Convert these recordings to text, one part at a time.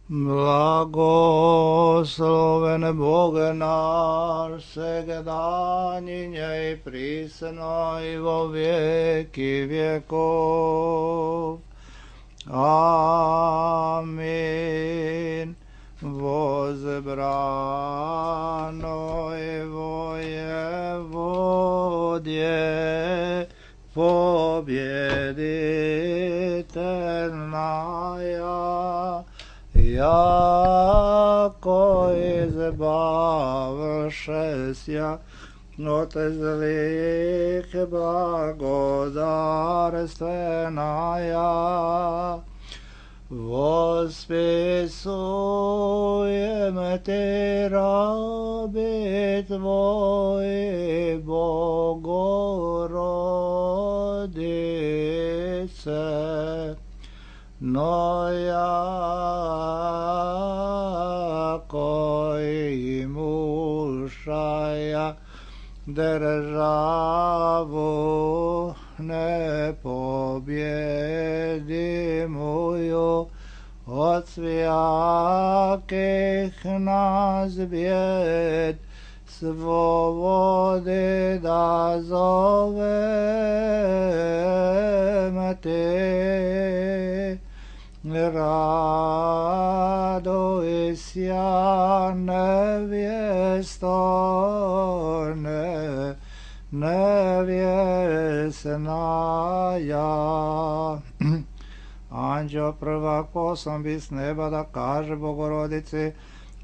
Blagosloven Bože naš, segedanje i prisno i vo vijeki vjekov. Amin. Возбрано его Еводье, победительная, яко избавшеся от злых благодарственная. Восписуем Ты, раби Твои, Богородице, но яко имущая державу непобедимую от всяких нас бед, свободы дозовем Ты. Радуйся, невесто, невестная. Anđeo prvak poslan bi s neba da kaže Bogorodici: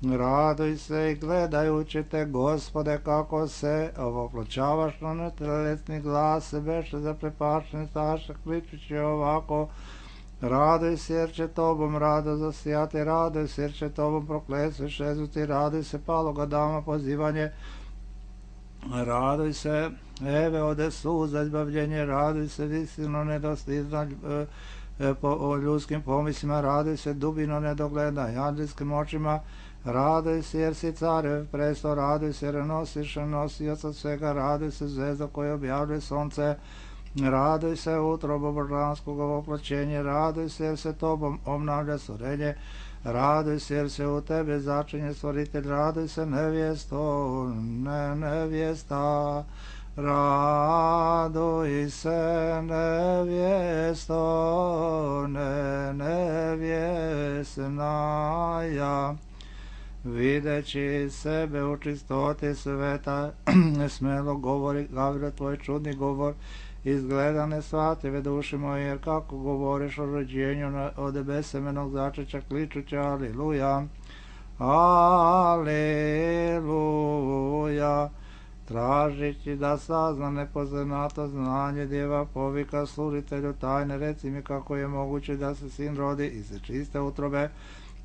raduj se i gledajući te, Gospode, kako se ovopločavaš na netelesni glas, se beše zaprepašten staša, kličući ovako: raduj se jer će tobom rado zasijati, raduj se jer će tobom prokletstvo šezuti, raduj se paloga dama pozivanje, raduj se eve ode suza izbavljenje, raduj se visino nedostižna o ljudskim pomislima, raduj se dubino nedogleda anđelskim očima, raduj se jer si carev presto, raduj se jer nosiš nosioca svega, raduj se zvezda koja objavljuje sonce, raduj se utrobo božanskog oploćenja, raduj se jer se tobom obnavlja stvorenje, raduj se jer se u tebe začinje stvoritelj, raduj se nevjesto, nevjesta, raduj se nevjesto, nevjesnaja. Videći sebe u čistoti sveta, smelo govori Gavrilo tvoj čudni govor, izgleda nesvative duši moje, jer kako govoriš o rođenju od besemenog začeća, kličući aliluja, aliluja. Tražići da sazna nepoznato znanje, djeva povika služitelju tajne, reci mi kako je moguće da se sin rodi iz čiste utrobe.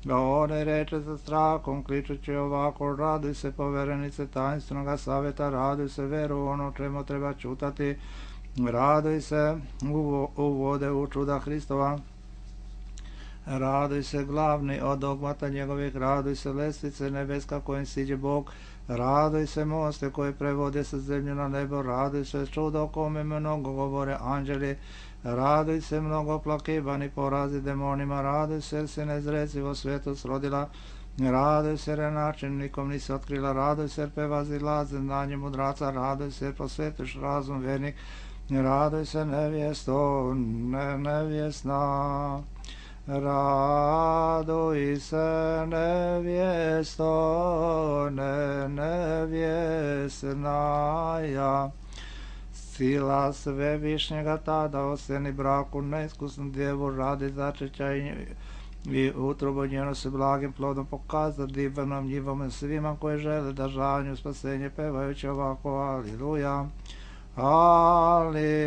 A one reče sa strahom, kličući ovako: raduj se, poverenice tajnstvenog savjeta, raduj se, veru ono čemu treba čutati, raduj se, uvode u čuda Hristova, raduj se, glavni od dogmata njegovih, raduj se, lestvice nebeska kojim siđe Bog, raduj se, moste koji prevode sa zemlje na nebo, raduj se, čudo o kome mnogo govore anđeli, raduj se, mnogo plakivani porazi demonima, raduj se, jer se nezrecivo svijetu srodila, raduj se, jer način nikom nisi otkrila, raduj se, jer prevazila znanje mudraca, raduj se, jer posvetiš razum vernik, raduj se, nevjesto, nevjesna, raduj se, nevjesto, nevjesnaja. Sila svevišnjega tada oseni braku neiskusnu djevu radi začeća i utrobo njeno se blagim plodom pokaza divanom njivom svima koji žele da žanju spasenje, pevajući ovako: aliluja, aliluja.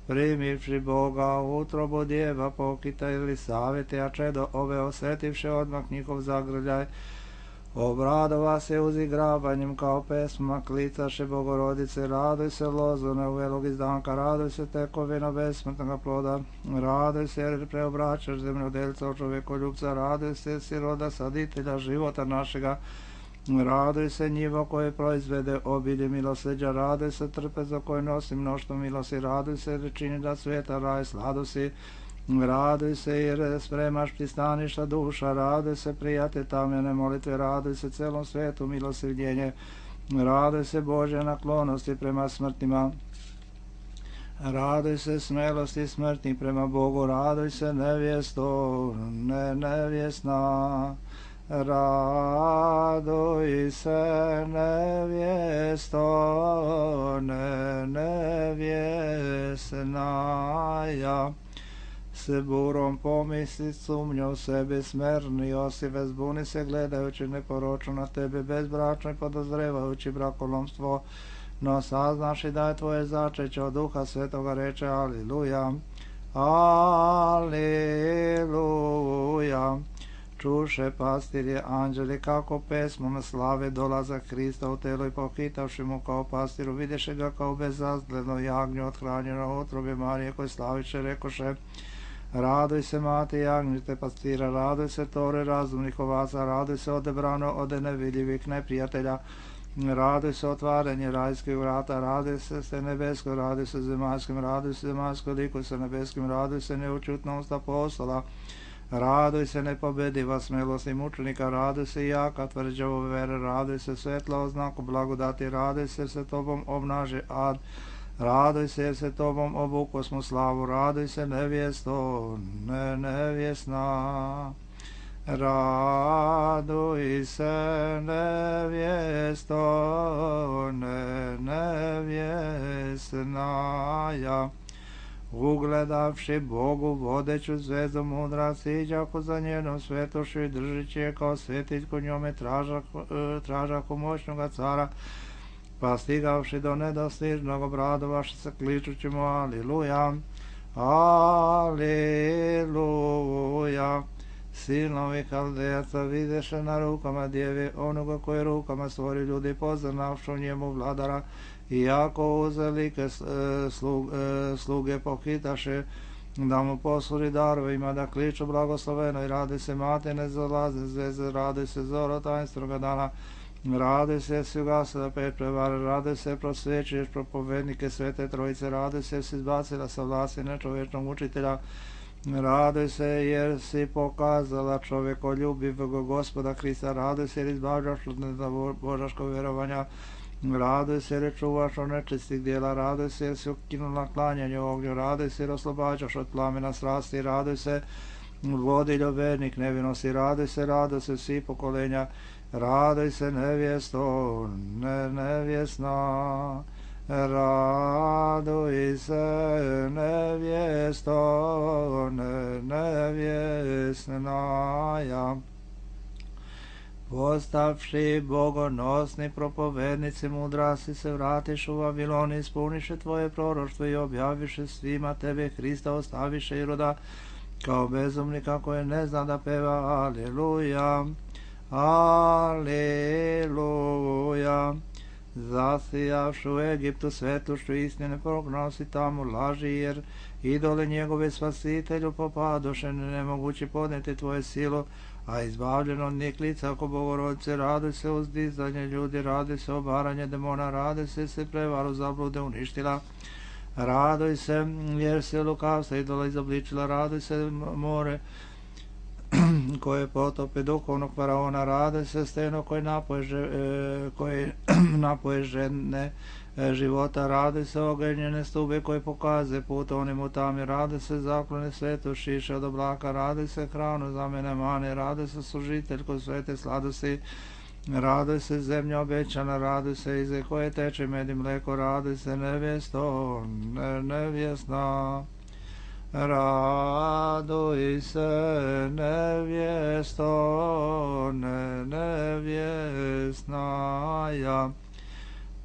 Primivši Boga u utrobu djeva pokita ili savjeti, a čedo ove osjetivše odmah njihov zagrljaj, obradova se uzigravanjem kao pesma, klicaše Bogorodice, raduj se lozone uvelog izdanka, raduj se tekovino besmrtnoga ploda, raduj se jer preobraćaš zemljodelca od čovjekoljubca, raduj se siroda saditelja života našega, raduj se njivo koje proizvede obilje milosrđa, raduj se trpezo koje nosi mnoštvo milosti, raduj se jer čini da sveta raj sladosi, Raduj se jer spremaš pristaništa duša, raduj se prijatelj tamjene molitve, raduj se celom svetu milosrdjenje, raduj se Bože naklonosti prema smrtima, raduj se smelosti smrtnih prema Bogu, raduj se nevjesto, nevjesna, raduj se nevjesto, nevjesnaja. Se burom pomisli sumnja u sebi smerni, Josife zbuni se gledajući neporočno na tebe, bezbračno i podozrevajući brakolomstvo, no saznaš i da je tvoje začeće od Duha Svetoga, reče aliluja, aliluja. Čuše pastirje anđeli kako pesmom slave dolazak Hrista u telo i pohitavši mu kao pastiru, vidješe ga kao bezazgledno jagnje othranjeno utrobe Marije, koje slaviše, rekoše, raduj se mati jagnjite pastira, raduj se tore razumnih ovaca, raduj se odebrano od nevidljivih neprijatelja, raduj se otvaranje rajskih vrata, raduj se nebesko, raduj se zemaljskim, raduj se zemaljsko, likuj se nebeskim, raduj se neučutnost apostola, raduj se nepobediva smelosti mučenika, raduj se jaka tvrđavo vere, raduj se svetla oznaku blagodati, raduj se jer se tobom obnaže ad, raduj se jer se tobom obuko smo slavu, raduj se nevjesto, nevjesna, raduj se nevjesto, nevjesnaja. Ugledavši Bogu vodeću zvezdu mudra siđako za njenom svetošću i držeći je kao svetiljku njome tražaku moćnoga cara, pa stigavši do nedostižnog obradovaši se kličući mu aliluja, aliluja. Sinovi Haldejaca videše na rukama djevi onoga koje rukama stvori ljudi, poznavšu njemu vladara, iako uzelike sluge pohitaše da mu posluži darovima, da kliču blagosloveno i radi se mate nezalazne zveze, radi se zoro tajnstvenoga dana, radi se si ugasila pet prevara, radi se prosvećuješ propovednike Svete Trojice, radi se si izbacila sa vlasti nečovječnog učitelja, raduj se jer si pokazala čovjekoljubivog Gospoda Hrista, raduj se jer izbavljaš od božaškog vjerovanja, raduj se jer čuvaš od nečistih dijela, raduj se jer si ukinula klanjanje ognju, raduj se jer oslobađaš od plamena strasti, raduj se vodiljo vernik nevinosti, raduj se svi pokolenja, raduj se nevjesto, nevjesna, raduj se nevjesto, nevjesnaja. Postavši bogonosni propovednici mudrasi se vratiš u Vavilon, ispuniše tvoje proroštvo i objaviše svima tebe Hrista, ostaviše Iroda kao bezumnika koje ne zna da peva aleluja, aleluja. Zasijavši u Egiptu svetlošću istine, prognosi tamo laži, jer idole njegove spasitelju popadoše, nemogući podneti tvoje silu, a izbavljeno od njih lica oko Bogorodice, radi se uzdizanje ljudi, radi se obaranje demona, radi se prevaru zablude uništila, raduj se jer se lukavstva idola izobličila, raduj se more koje potope duhovnog faraona, raduj se steno koje napoje žene života, raduj se ogenjene stube koje pokaze put onim u tami, raduj se zaklone svetošiše od oblaka, raduj se hranu za mene mane, raduj se služiteljko svete sladosti, raduj se zemlja obećana, raduj se ize koje teče med i mleko, raduj se nevjesto, nevjesna, raduj se nevjesto, nevjesnaja.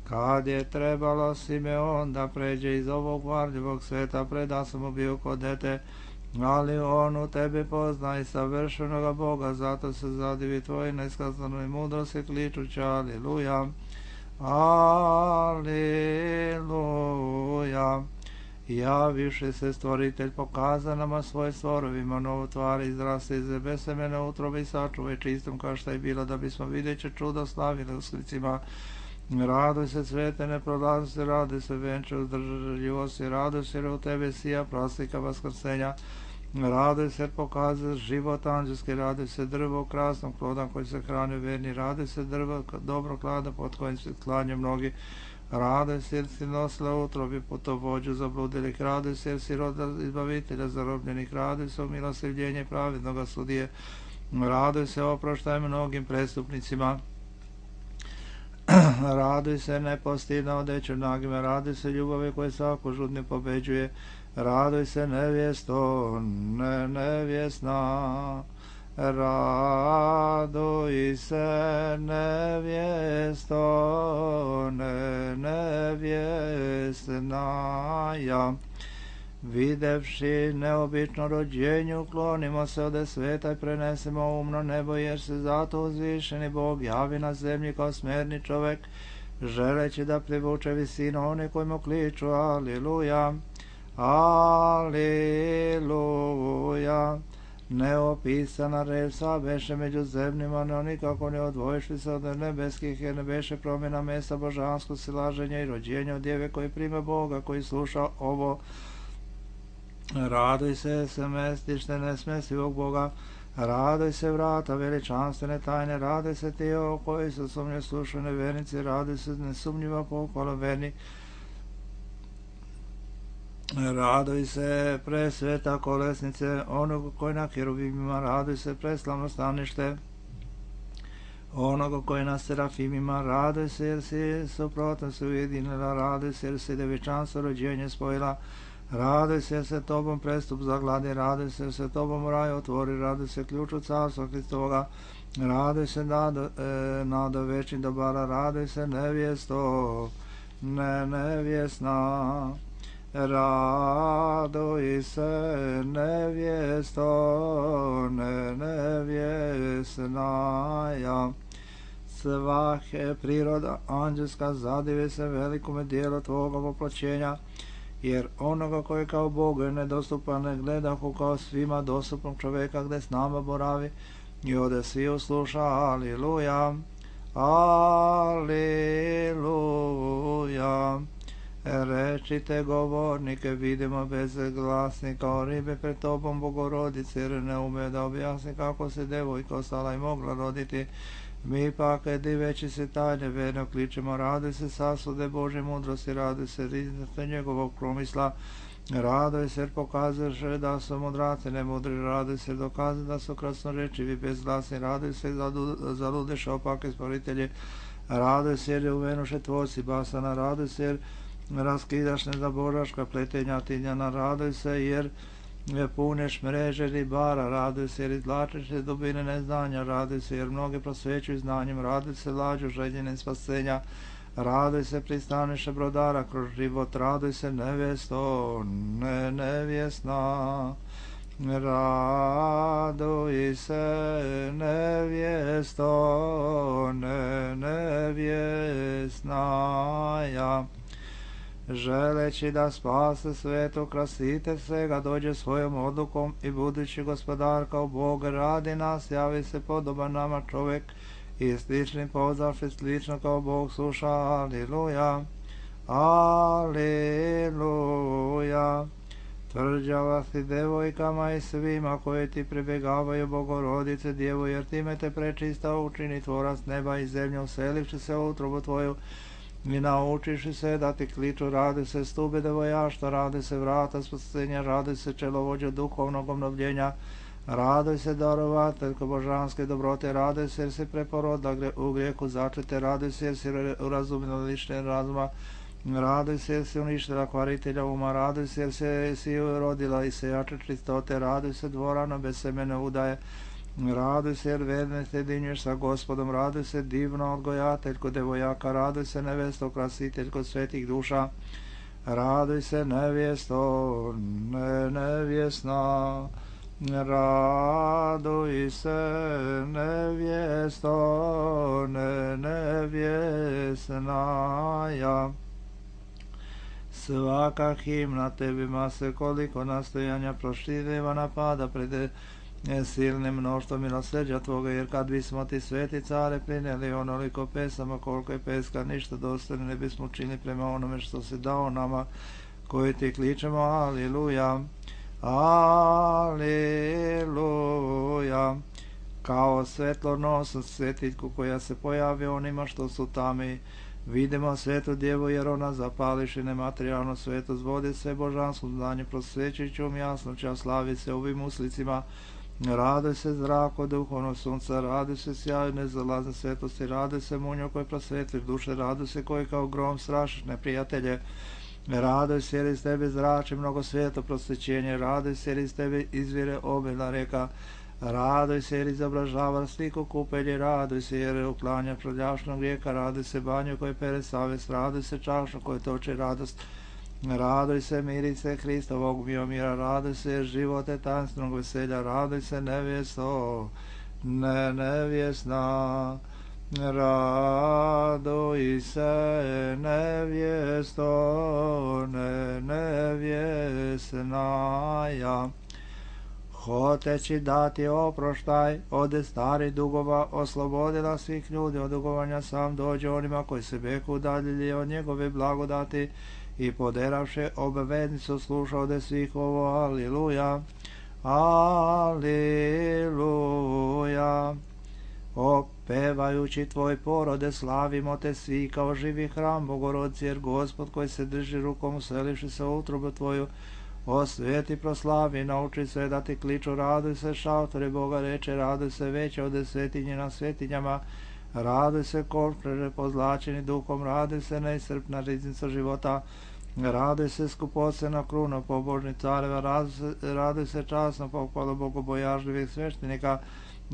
Kad je trebalo Simeon da pređe iz ovog varljivog sveta, preda sam mu bio kod dete, ali on u tebi pozna i savršenoga Boga, zato se zadivi tvoj neiskazanoj mudrosti kličući aleluja, aleluja. Javiše se stvoritelj, pokaza nama svoje stvorovima, novu tvar izraste iz besemene utrobe i sačuvaj čistom kao što je bilo, da bismo videće čudo slavili usklicima. Raduj se svete neprolaznosti, raduj se venče uzdržljivosti, raduj se jer u tebe sija prostika vaskrsenja, Raduj se jer pokazuje život anđelski, raduj se drvo krasnog ploda koji se hrani verni, raduj se drvo dobro klada pod kojim se klanje mnogi, raduj se jer si nosila utrobi putovođu zabludilih, raduj se jer si rodila izbavitelja zarobljenih, raduj se o milosrdljenje pravednoga sudije, raduj se oproštaj mnogim prestupnicima, raduj se nepostidna odeću nagima, raduj se ljubavi koje svaku žudnju pobeđuje, raduj se nevjesto, nevjesna, raduj se nevjesto, nevjesna, ja. Videvši neobično rođenje, uklonimo se ode sveta i prenesemo umno nebo, jer se zato uzvišeni Bog javi na zemlji kao smerni čovek, želeći da privuče visinu one koji mu kliču. Aliluja, aliluja. Neopisana reč sva beše među zemljima, no nikako ne odvojišli se od nebeskih, jer ne beše promjena mesta božansko silaženja i rođenja od djeve koji prime Boga, koji sluša ovo. Raduj se mestište nesmestivog Boga, raduj se vrata veličanstvene tajne, raduj se ti o koji su sumnje slušaju nevernici, raduj se nesumnjiva pohvala verni, raduj se presveta kolesnice onog koji na kerubimima, raduj se preslavno stanište onoga koji na serafimima, raduj se jer si suprotno se ujedinila, raduj se jer si devičanstvo rođenje spojila, raduj se jer se tobom prestup zagladi, raduj se jer se tobom raj otvori, raduj se ključu carstva Hristovoga, raduj se nada večnih dobara, raduj se nevjesto, nevjesna, raduj se nevjesto, nevjesna, ja. Svahe priroda anđelska zadive se velikome dijelu tvoga voplaćenja, jer onoga koji kao Bogu je nedostupan ne gledahu kao svima dostupnog čoveka gde s nama boravi i ode svi usluša. Aliluja, aliluja. Rečite govornike, vidimo bezglasni kao ribe pred tobom Bogorodice, jer ne ume da objasni kako se devojka ostala i mogla roditi. Mi pak, diveći se tajne verno kličemo, raduj se sasude Božje mudrosti, raduj se riznosti njegovog promisla, raduj se jer pokazuješ da su mudraci nemudri, raduj se dokaze da su krasnorečivi bezglasni, raduj se zaludeš opake stvoritelje, raduj se jer uvenuše tvorci basana, raduj se jer raskidaš nezaboraška pletenja tinjana, raduj se jer puneš mreže ribara, raduj se jer izvlačeš iz dubine neznanja, raduj se jer mnoge prosvećuju znanjem, raduj se lađu željenim spasenja, raduj se pristaniše brodara kroz život, raduj se nevjesto, nevjesna, raduj se nevjesto, nevjesna, ja. Želeći da spase svetu krasitelj svega dođe svojom odlukom i budući gospodar kao Bog radi nas, javi se podoban nama čovjek i slični pozavši slično kao Bog sluša. Aliluja, aliluja. Tvrđava si devojkama i svima koji ti pribjegavaju Bogorodice Djevu, jer time te prečista učini tvorac neba i zemlje, uselivši se u utrobu tvoju i naučiš se da ti kliču. Radi se stube devojaštva, radi se vrata spasenja, radi se čelovođa duhovnog obnovljenja, radi se darovateljko božanske dobrote, radi se jer si preporodila u grijehu začete, radi se jer si urazumila lične razuma, radi se jer si uništila kvaritelja uma, radi se jer si rodila i sejače čistote, radi se dvorano bez semene udaje, raduj se jer verne sjedinješ sa Gospodom, raduj se divno odgojateljko devojaka, raduj se nevesto krasiteljko svetih duša, raduj se nevjesto, nevjesna, raduj se nevjesto, nevjesna, ja. Svaka himna tebima se koliko nastojanja proširiva napada pred silnim mnoštvom milosrđa tvoga, jer kad bismo ti sveti care prinijeli onoliko pesama koliko je peska ništa dostojno ne bismo učinili prema onome što si dao nama koji ti kličemo. Aliluja, Aleluja. Kao svetlonosna svetiljku koja se pojavi onima što su tami. Vidimo svetu djevu jer ona zapališi nematerijalno svetost vode sve božansko znanje prosvećujućom jasnoća slavi se ovim uslicima. Radoj se zrako duhovno sunca, radoj se sjaju nezalazne svetosti, radoj se munjo koji prosvetliš duše, radoj se koji kao grom strašiš neprijatelje. Radoj se jer iz tebe zrači mnogo svijeto prosvećenje, radoj se jer iz tebe izvire obilna reka. Radoj se jer izobražava sliku kupelje, radoj se jer uklanja prljašnog grijeka, radoj se banju koji pere savjest, radoj se čašu koji toči radost. Radoj se mirice Hristovog biomira, radoj se živote tajnstvenog veselja, radoj se nevjesto, nevjesna. Radoj se nevjesto, nevjesnaja. Hoteći dati oproštaj od starih dugova, oslobodila svih ljudi od dugovanja, sam dođe onima koji se beku udaljili od njegove blagodati i poderavše obaveznicu sluša ode svih ovo. Aliluja, aliluja. Opevajući tvoj porode, slavimo te svi kao živi hram Bogorodci, jer Gospod koji se drži rukom uselivši se u utrobu tvoju, osvijeti, proslavi, nauči sve da ti kliču, raduj se šatori Boga reče, raduj se veće od svetinje na svetinjama, raduj se košpreže pozlačeni duhom, raduj se neiscrpna riznica života, raduj se skupocena kruna pobožnih careva, raduj se časno pohvalo bogobojažljivih sveštenika,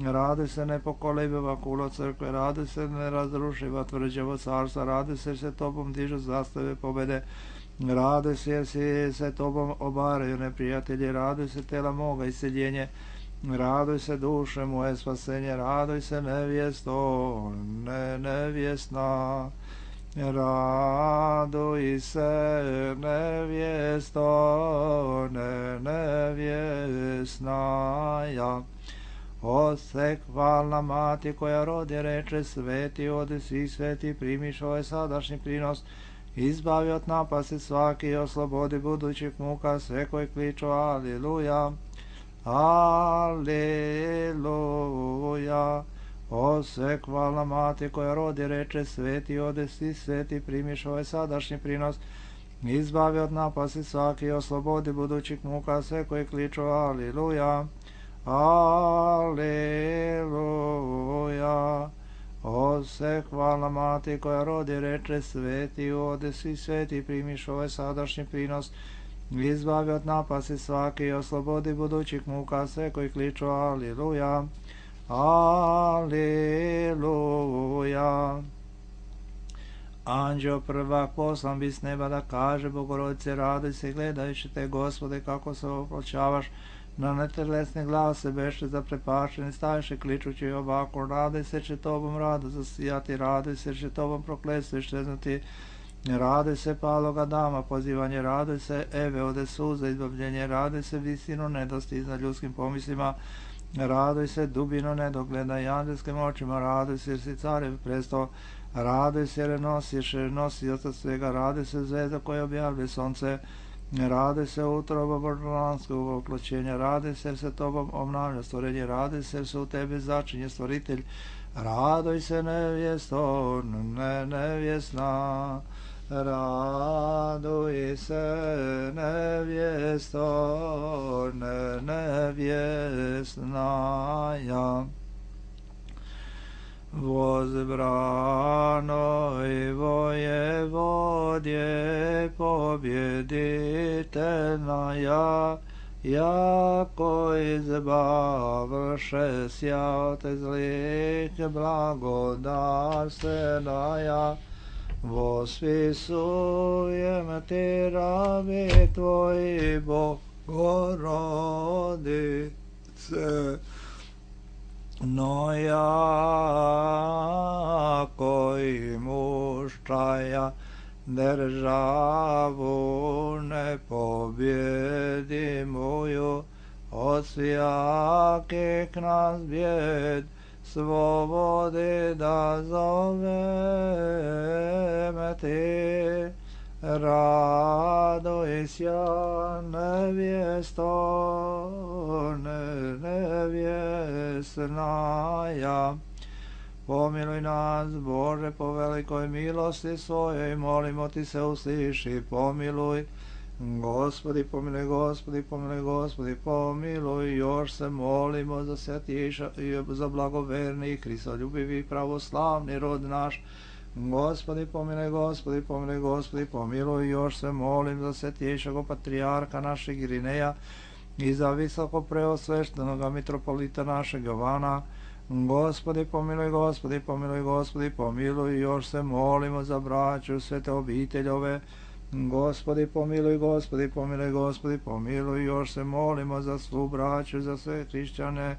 raduj se nepokolebiva kulo crkve, raduj se nerazrušiva tvrđevo carstva, raduj se tobom dižu zastave pobede, raduj se jer se tobom obaraju neprijatelji, raduj se tela moga iseljenje, raduj se duše moje spasenje, raduj se nevjesto, nevjesna, raduj se nevjesto, nevjesnaja. Ose hvalna mati koja rodi reče, sveti ode svi sveti, primiš ovaj sadašnji prinos, izbavi od napasti svaki i oslobodi budućih muka sve koji kliču aliluja, aliluja. Ose hvalna mati koja rodi reče, sveti ode svi sveti, primiš ovaj sadašnji prinos, izbavi od napasti svaki i oslobodi budućih muka sve koji kliču aliluja, aleluja. Ose hvalna mati koja rodi reče, sveti ode svi sveti, primiš ovaj sadašnji prinos, izbavi od napasti svaki i oslobodi budućih muka sve koji kliču aliluja, aleluja. Anđeo prvak poslan bi s neba da kaže Bogorodice, raduj se gledajući te Gospode kako se opločavaš na netelesne glase, beše zaprepašeni, staviše kličući ovako, raduj se će tobom rado zasijati, raduj se će tobom prokletstvo iščeznuti, raduj se paloga dama pozivanje, raduj se Eve ode suza izbavljenje, raduj se visino nedosti iznad ljudskim pomislima, raduj se dubino nedogleda i anđelskim očima, raduj se jer si carev presto, raduj se jer nosioca svega, raduj se zvezda koja objavlja sonce, raduj se utroba božanskog oploćenja, raduj se jer se tobom obnavlja stvorenje, raduj se jer se u tebi začinje stvoritelj, raduj se nevjesto, nevjesna, raduj se nevjesto, nevjesnaja. Возбранoj vojevodje pobjeditelnaja, jako izbavše sja te zlih blagodarstvenaja, vospisujem ti rabi tvoji Bogorodice, no jako i muščaja državu ne pobjedi moju, od svjakih nas bjed slobodi da zovem ti, Radujся, nevjesная. Pomiluj nas, Bože, po velikoj milosti svojoj, molimo ti se, usliši, pomiluj. Gospodi, pomiluj, Gospodi, pomiluj, Gospodi, pomiluj. Još se molimo za svjatiša i za blagoverni, Hristoljubivi, pravoslavni rod naš. Gospodi, pomiluj, Gospodi, pomiluj, Gospodi, pomiluj. Još se molim za svjetišeg patrijarha našeg Irineja i za visoko preosveštenog mitropolita našeg Jovana. Gospodi, pomiluj, Gospodi, pomiluj, Gospodi, pomiluj. Još se molimo za braću svete obiteljove. Gospodi, pomiluj, Gospodi, pomiluj, Gospodi, pomiluj. Još se molimo za svu braću, za sve hrišćane.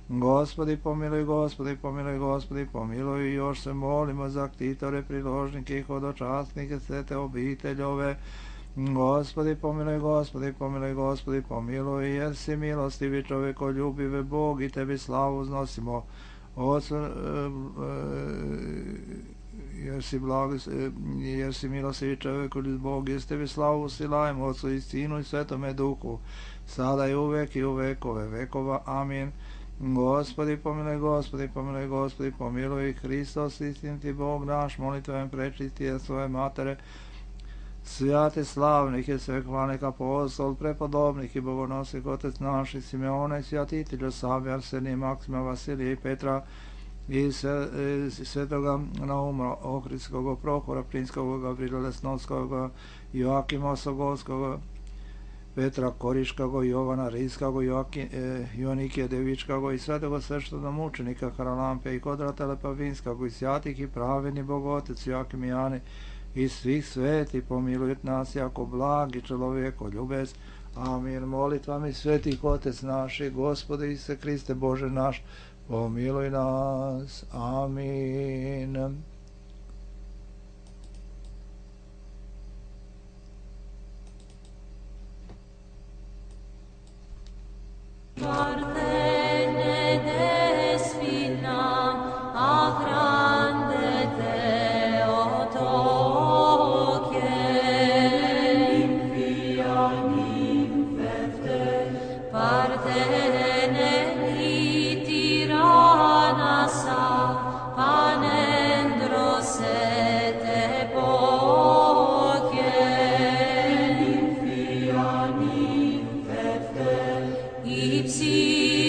Gospodi, pomiluj, Gospodi, pomiluj, Gospodi, pomiluj. Još se molimo za ktitore, priložnike i hodočasnike svete obiteljove. Gospodi, pomiluj, Gospodi, pomiluj, Gospodi, pomiluj, jer si milostivi čovekoljubive Bog i tebi slavu uznosimo. Jer si milostivi čovekoljubiv Bog, jer tebi slavu usilajemo Otcu i Sinu i Svetome Duhu, sada i uvek i u vekove vekova. Amin. Gospodi, pomiluj, Gospodi, pomiluj, Gospodi, pomiluj. Hristos, istiniti Bog naš, molitvom prečistije svoje matere, svijate slavnih i svekvanih apostol, prepodobnih i bogonosnih otec naših Simeona i svjatitelja Savija, Arsenija, Maksima, Vasilija i Petra i svetoga Nauma, Ohridskog, Prohora, Prinskog, Gavrila Lesnovskog, Joakima Osogovskog, Petra Koriškog, Jovana Rijskog, Jonikije Devičkog i svetog sveštenog mučenika Haralampe i Kodrata Lepavinskog i svjatih i praveni Bogotec Joakim i Jani i svih sveti, pomiluj nas jako blagi čovjeko ljubez. Amin. Molitvami svetih Otec naši, Gospode Isuse Hriste Bože naš, pomiluj nas. Amin. Ipsi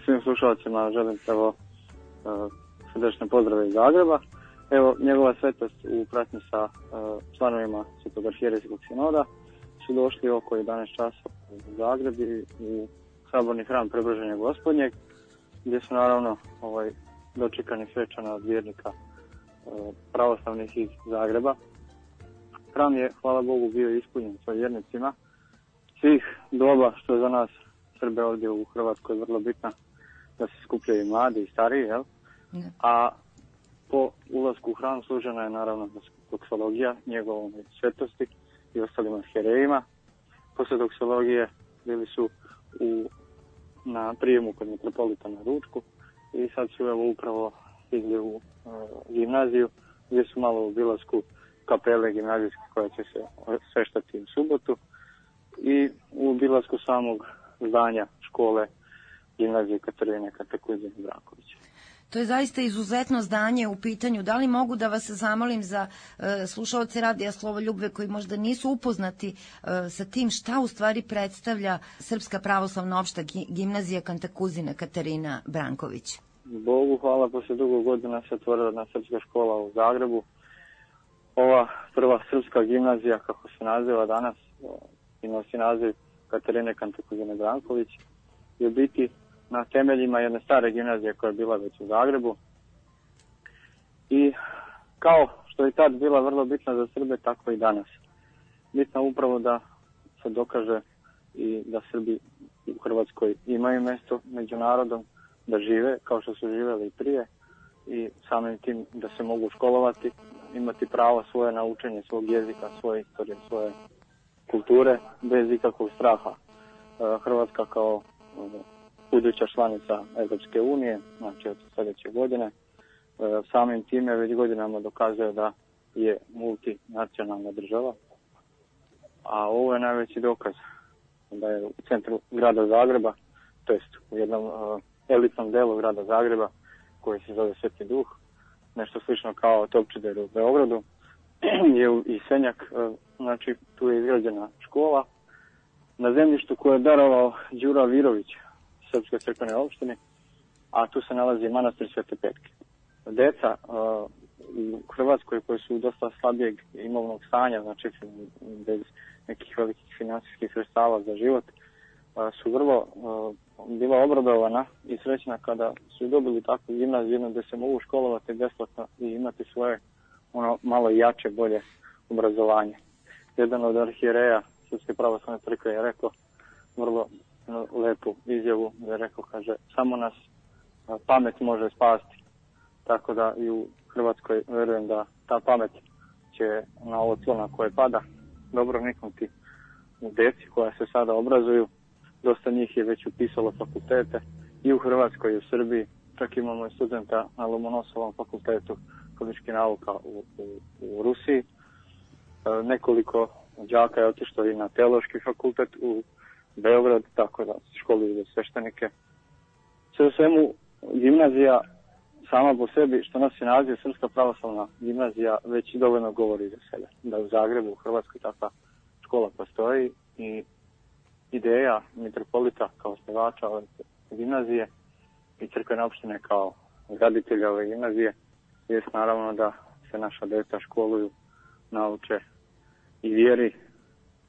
Svim slušalcima želim prvo srdečne pozdrave iz Zagreba. Evo, njegova svetost u pratnji sa članovima Svetog arhijerejskog sinoda su došli oko 11 časova u Zagreb i u saborni hram Preobraženja Gospodnjeg, gdje su naravno dočekani svečana od vjernika pravoslavnih iz Zagreba. Hram je, hvala Bogu, bio ispunjen sa vjernicima svih doba, što je za nas Srbe ovdje u Hrvatskoj vrlo bitna, da se skupljaju mladi i stariji, jel? Ne. A po ulasku u hram služena je naravno doksologija njegovom svetosti i ostalim arhijerejima. Posle doksologije bili su na prijemu kod metropolita na ručku i sad su upravo stigli u gimnaziju, gdje su malo u obilasku kapele gimnazijske koja će se sveštati u subotu i u obilasku samog zdanja škole gimnazije Katarine Kantakuzine Branković. To je zaista izuzetno zdanje u pitanju. Da li mogu da vas zamolim za slušaoce Radija Slovoljubve koji možda nisu upoznati sa tim šta u stvari predstavlja Srpska pravoslavna opšta gimnazija Kantakuzina Katarina Branković? Bogu hvala, posle dugo godina se otvorila jedna srpska škola u Zagrebu. Ova prva srpska gimnazija, kako se naziva danas, i nosi naziv Katarine Kantakuzine Branković, je biti na temeljima jedne stare gimnazije koja je bila već u Zagrebu. I kao što je tad bila vrlo bitna za Srbe, tako i danas. Bitno upravo da se dokaže i da Srbi u Hrvatskoj imaju mjesto među narodom, da žive kao što su živjeli i prije i samim tim da se mogu školovati, imati pravo svoje na učenje svog jezika, svoje istorije, svoje kulture bez ikakvog straha. Hrvatska kao buduća članica Europske unije, znači od sljedeće godine, samim time već godinama dokazuje da je multinacionalna država, a ovo je najveći dokaz da je u centru grada Zagreba, to jest u jednom elitnom delu grada Zagreba koji se zove Sveti Duh, nešto slično kao Topčider u Beogradu, je i Senjak, znači tu je izgrađena škola na zemljištu koje je darovao Đura Virović Srpskoj crkvenoj opštini, a tu se nalazi manastir Svete Petke. Deca u Hrvatskoj koji su dosta slabijeg imovnog stanja, znači bez nekih velikih finansijskih sredstava za život, su vrlo bila obradovana i srećna kada su dobili takvu gimnaziju gdje se mogu školovati besplatno i imati svoje malo jače, bolje obrazovanje. Jedan od arhijereja Srpske pravoslavne crkve je rekao vrlo lepu izjavu, da je rekao, kaže, samo nas pamet može spasti. Tako da i u Hrvatskoj vjerujem da ta pamet će na ovo tlo na koje pada dobro niknuti u deci koja se sada obrazuju. Dosta njih je već upisalo fakultete i u Hrvatskoj i u Srbiji. Čak imamo i studenta na Lomonosovom fakultetu političkih nauka u Rusiji. Nekoliko đaka je otišlo i na teološki fakultet u Beograd, tako da školuju za sveštenike. Sve u svemu, gimnazija sama po sebi, što nosi naziv Srpska pravoslavna gimnazija, već dovoljno govori za sebe. Da u Zagrebu, u Hrvatskoj takva škola postoji i ideja mitropolita kao osnivača ove gimnazije i crkvene opštine kao graditelja ove gimnazije je naravno da se naša djeca školuju, nauče i vjeri,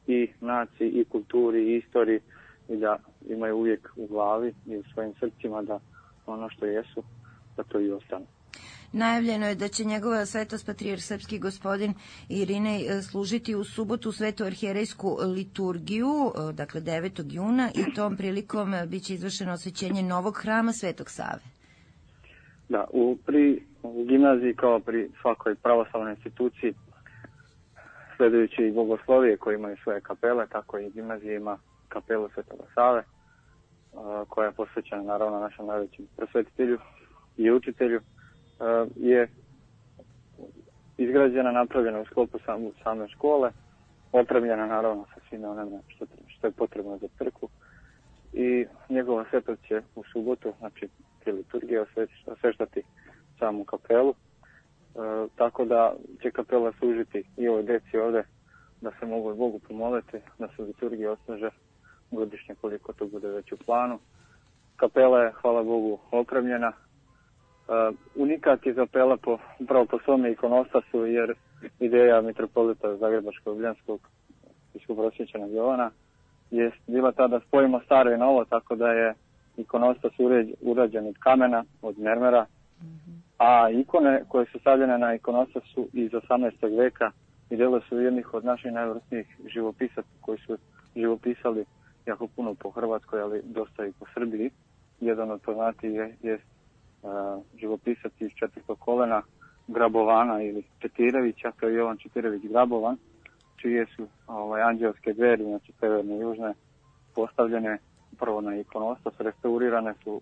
i naciji, i kulturi, i istoriji i da imaju uvijek u glavi i u svojim srcima da ono što jesu, da to i ostane. Najavljeno je da će njegova svetost patrijarh srpski gospodin Irinej služiti u subotu svetu arhijerejsku liturgiju, dakle 9. juna, i tom prilikom biće izvršeno osvećenje novog hrama Svetog Save. Da, pri gimnaziji kao pri svakoj pravoslavnoj instituciji, sledujući i bogoslovije koji imaju svoje kapele, tako i gimnazija ima kapelu Svetoga Save, koja je posvećena naravno našem najvećem prosvetitelju i učitelju, je izgrađena, napravljena u sklopu same škole, opremljena naravno sa svime onome što je potrebno za crkvu i njegova svetost će u subotu, znači pri liturgiji, osveštati samu kapelu, tako da će kapela služiti i ovoj deci ovde da se mogu Bogu pomoliti, da se liturgija osluže godišnje koliko to bude već u planu. Kapela je, hvala Bogu, opremljena. Unikat je kapela upravo po svome ikonostasu, jer ideja mitropolita Zagrebačko-Ljubljanskog biskupa Jovana je bila ta da spojimo staro i novo, tako da je ikonostas urađen od kamena, od mermera, a ikone koje su stavljene na ikonostasu iz 18. veka i delo su jednih od naših najvrsnijih živopisaca koji su živopisali jako puno po Hrvatskoj, ali dosta i po Srbiji. Jedan od poznatijih je živopisac iz 4. kolena Grabovana ili Četirevića, to je Jovan Četirević Grabovan, čije su anđelske dveri, znači severne i južne, postavljene prvo na ikonostas, restaurirane su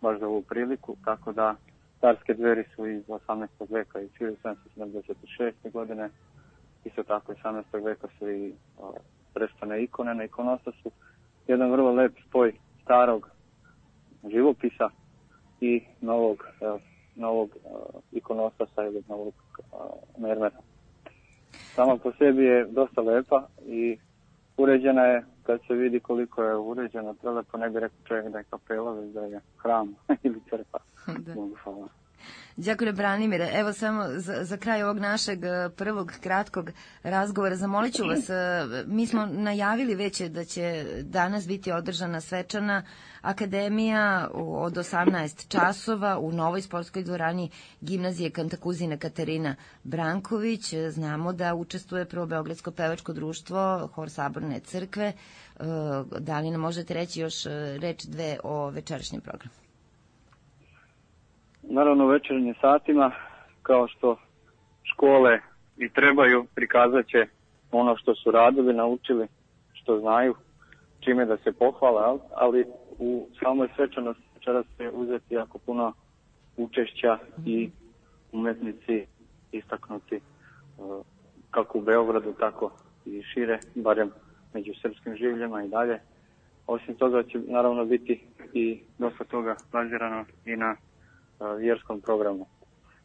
baš za ovu priliku, tako da carske dveri su iz 18. veka i 1776. godine, isto tako iz 18. veka su i prestane ikone na ikonostasu. Jedan vrlo lep spoj starog živopisa i novog ikonostasa ili novog mermera. Sama po sebi je dosta lepa i uređena je, kad se vidi koliko je uređena, prelepo, ne bi rekao čovjek da je kapela, već da je hram ili crkva. Hvala. Đakone Branimire, evo samo za kraj ovog našeg prvog kratkog razgovora zamolit ću vas, mi smo najavili već da će danas biti održana svečana akademija od 18 časova u novoj sportskoj dvorani gimnazije Kantakuzina Katarina Branković. Znamo da učestvuje prvo Beogradsko pevačko društvo, Hor Saborne crkve. Da li nam možete reći još reč dve o večerašnjem programu? Naravno, u večernjim satima, kao što škole i trebaju, prikazat će ono što su radili, naučili, što znaju, čime da se pohvale, ali u samoj svečanosti večeras će uzeti jako puno učešća i umetnici istaknuti kako u Beogradu, tako i šire, barem među srpskim življama i dalje. Osim toga će naravno biti i dosta toga bazirano i na vjerskom programu.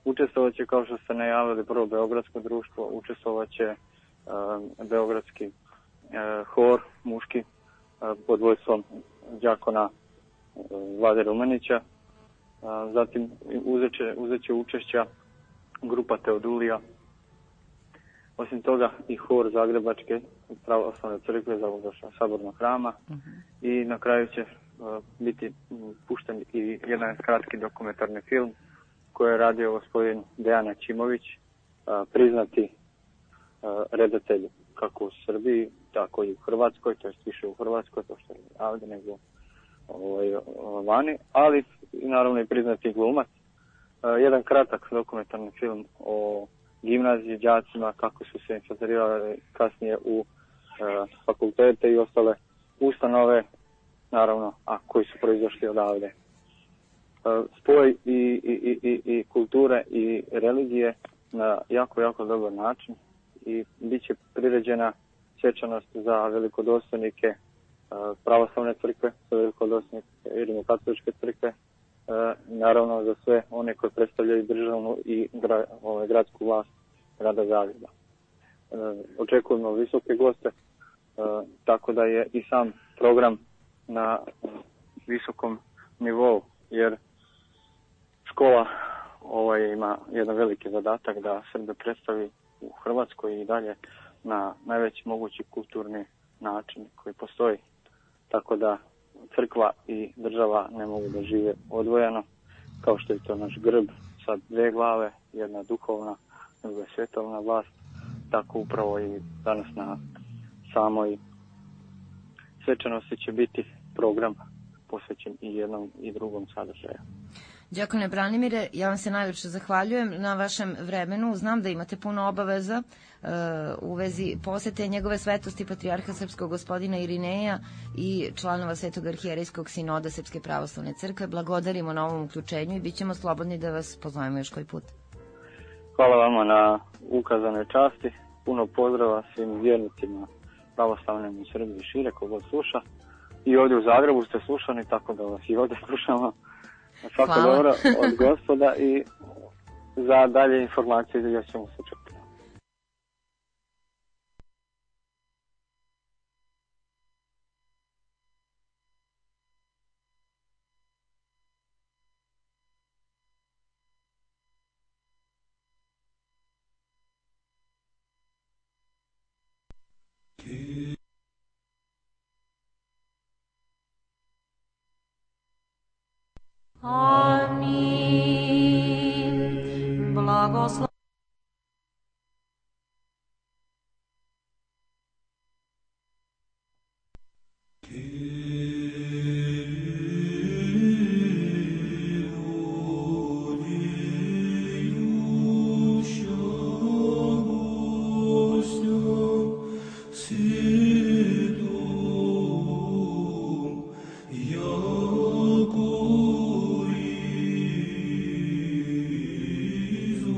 Učestvovat će, kao što ste najavili, prvo Beogradsko društvo, učestvovat će Beogradski hor muški pod vojstvom đakona Vlade Rumenića. Zatim uzet će učešća grupa Teodulija. Osim toga i hor Zagrebačke pravoslavne crkve za Sabornog hrama. I na kraju će biti pušten i jedan kratki dokumentarni film koji je radio gospodin Dejan Aćimović, priznati redatelj kako u Srbiji, tako i u Hrvatskoj, to je više u Hrvatskoj, to što je ovdje, nego vani, ali naravno i priznati glumac. Jedan kratak dokumentarni film o gimnaziji, đacima, kako su se infiltrirali kasnije u fakultete i ostale ustanove, naravno, a koji su proizašli odavde. Spoj i kulture i religije na jako, jako dobar način i bit će priređena svečanost za velikodostojnike pravoslavne crkve, za velikodostojnike rimokatoličke crkve, naravno za sve one koji predstavljaju državnu i gradsku vlast grada Zagreba. Očekujemo visoke goste, tako da je i sam program na visokom nivou, jer škola ima jedan veliki zadatak da Srbe predstavi u Hrvatskoj i dalje na najveći mogući kulturni način koji postoji. Tako da crkva i država ne mogu da žive odvojeno, kao što je to naš grb sa dve glave, jedna duhovna, druga svjetovna vlast. Tako upravo i danas na samoj svečanosti će biti program posvećen i jednom i drugom sadržaju. Đakone Branimire, ja vam se najljepše zahvaljujem na vašem vremenu. Znam da imate puno obaveza u vezi posete njegove svetosti patrijarha srpskog gospodina Irineja i članova Svetog arhijerejskog sinoda Srpske pravoslavne crkve. Blagodarimo na ovom uključenju i bit ćemo slobodni da vas pozovemo još koji put. Hvala vama na ukazanoj časti. Puno pozdrava svim vjernicima pravoslavnim u Srbiji i šire, kogod sluša. I ovdje u Zagrebu ste slušani, tako da vas i ovdje slušamo. Svako dobro od Gospoda i za dalje informacije još ćemo se čuti. Amin. Blagoslov. Izu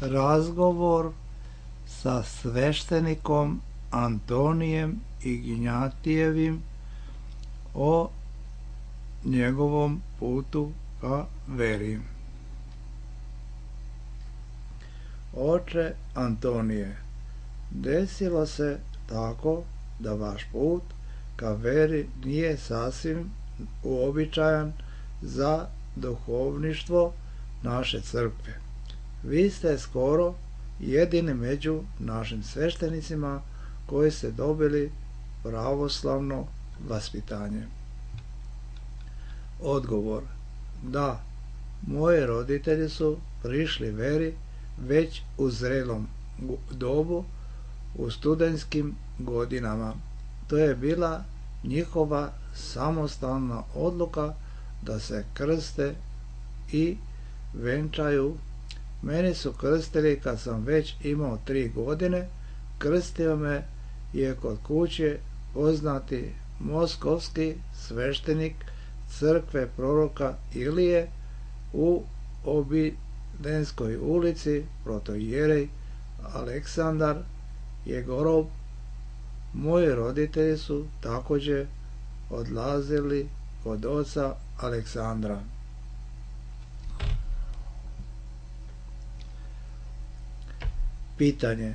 razgovor sa sveštenikom Antonijem Ignjatijevim o njegovom putu ka veri. Oče Antonije, desilo se tako da vaš put ka veri nije sasvim uobičajan za duhovništvo naše crkve. Vi ste skoro jedini među našim sveštenicima koji ste dobili pravoslavno vaspitanje. Odgovor: da, moji roditelji su prišli veri već u zrelom dobu, u studentskim godinama. To je bila njihova samostalna odluka da se krste i venčaju. Mene su krstili kad sam već imao 3 godine. Krstio me je kod kuće poznati moskovski sveštenik crkve proroka Ilije u Obidenskoj ulici, protoijerej Aleksandar Jegorov. Moji roditelji su također odlazili kod oca Aleksandra. Pitanje: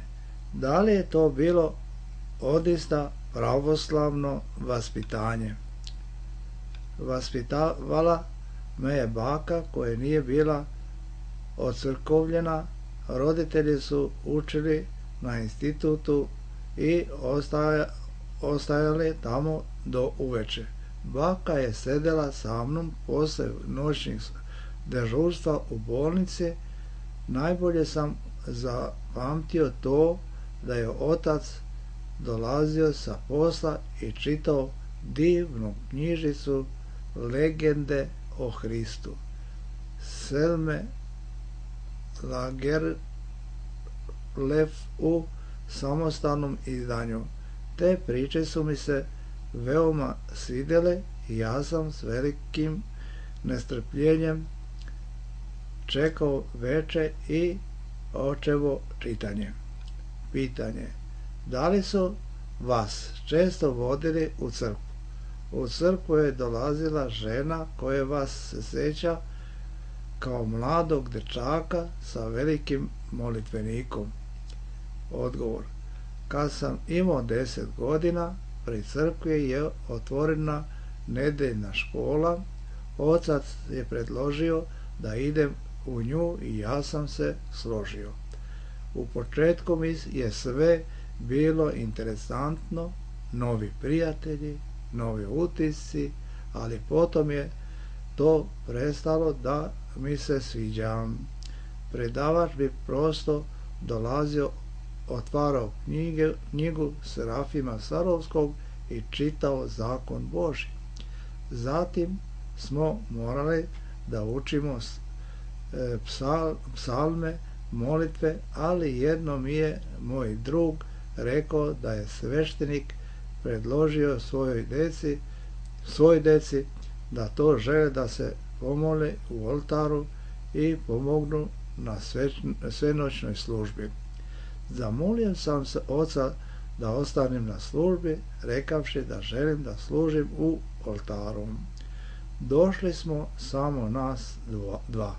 da li je to bilo odista pravoslavno vaspitanje? Vaspitavala me je baka koja nije bila ocrkovljena. Roditelji su učili na institutu i ostajali tamo do uveče. Baka je sedela sa mnom posle noćnih dežurstva u bolnici. Najbolje sam zapamtio to da je otac dolazio sa posla i čitao divnu knjižicu Legende o Hristu Selme Lagerlöf u samostalnom izdanju. Te priče su mi se veoma svidjele i ja sam s velikim nestrpljenjem čekao veče i očevo čitanje. Pitanje: da li su vas često vodili u crkvu? U crkvu je dolazila žena koja vas se sjeća kao mladog dečaka sa velikim molitvenikom. Odgovor: kad sam imao 10 godina, pri crkvi je otvorena nedeljna škola. Otac je predložio da idem u nju i ja sam se složio. U početku mi je sve bilo interesantno, novi prijatelji, novi utisci, ali potom je to prestalo da mi se sviđa. Predavač bi prosto dolazio, otvarao knjigu Serafima Sarovskog i čitao zakon Božji. Zatim smo morali da učimo psalme, molitve, ali jedno mi je moj drug rekao da je sveštenik predložio svoj deci da to žele da se pomole u oltaru i pomognu na svenoćnoj službi. Zamolio sam se oca da ostanem na službi, rekavši da želim da služim u oltaru. Došli smo samo nas dva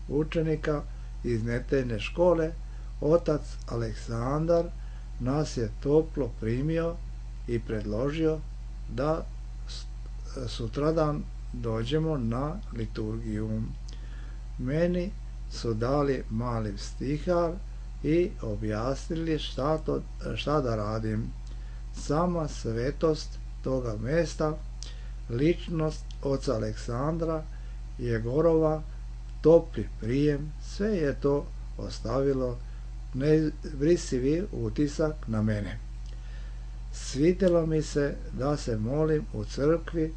učenika iz nedeljne škole. Otac Aleksandar nas je toplo primio i predložio da sutradan dođemo na liturgiju. Meni su dali mali stihar i objasnili šta da radim. Sama svetost toga mesta, ličnost oca Aleksandra Jegorova, topli prijem, sve je to ostavilo neizbrisivi utisak na mene. Svidjelo mi se da se molim u crkvi,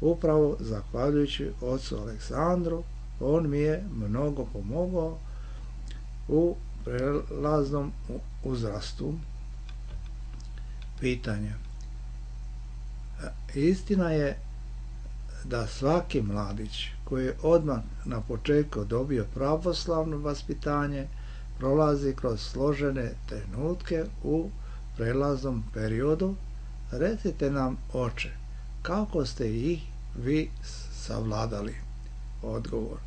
upravo zahvaljujući ocu Aleksandru. On mi je mnogo pomogao u prelaznom uzrastu. Pitanje: istina je da svaki mladić koji je odmah na početku dobio pravoslavno vaspitanje prolazi kroz složene trenutke u prelaznom periodu. Recite nam, oče, kako ste ih vi savladali? Odgovor: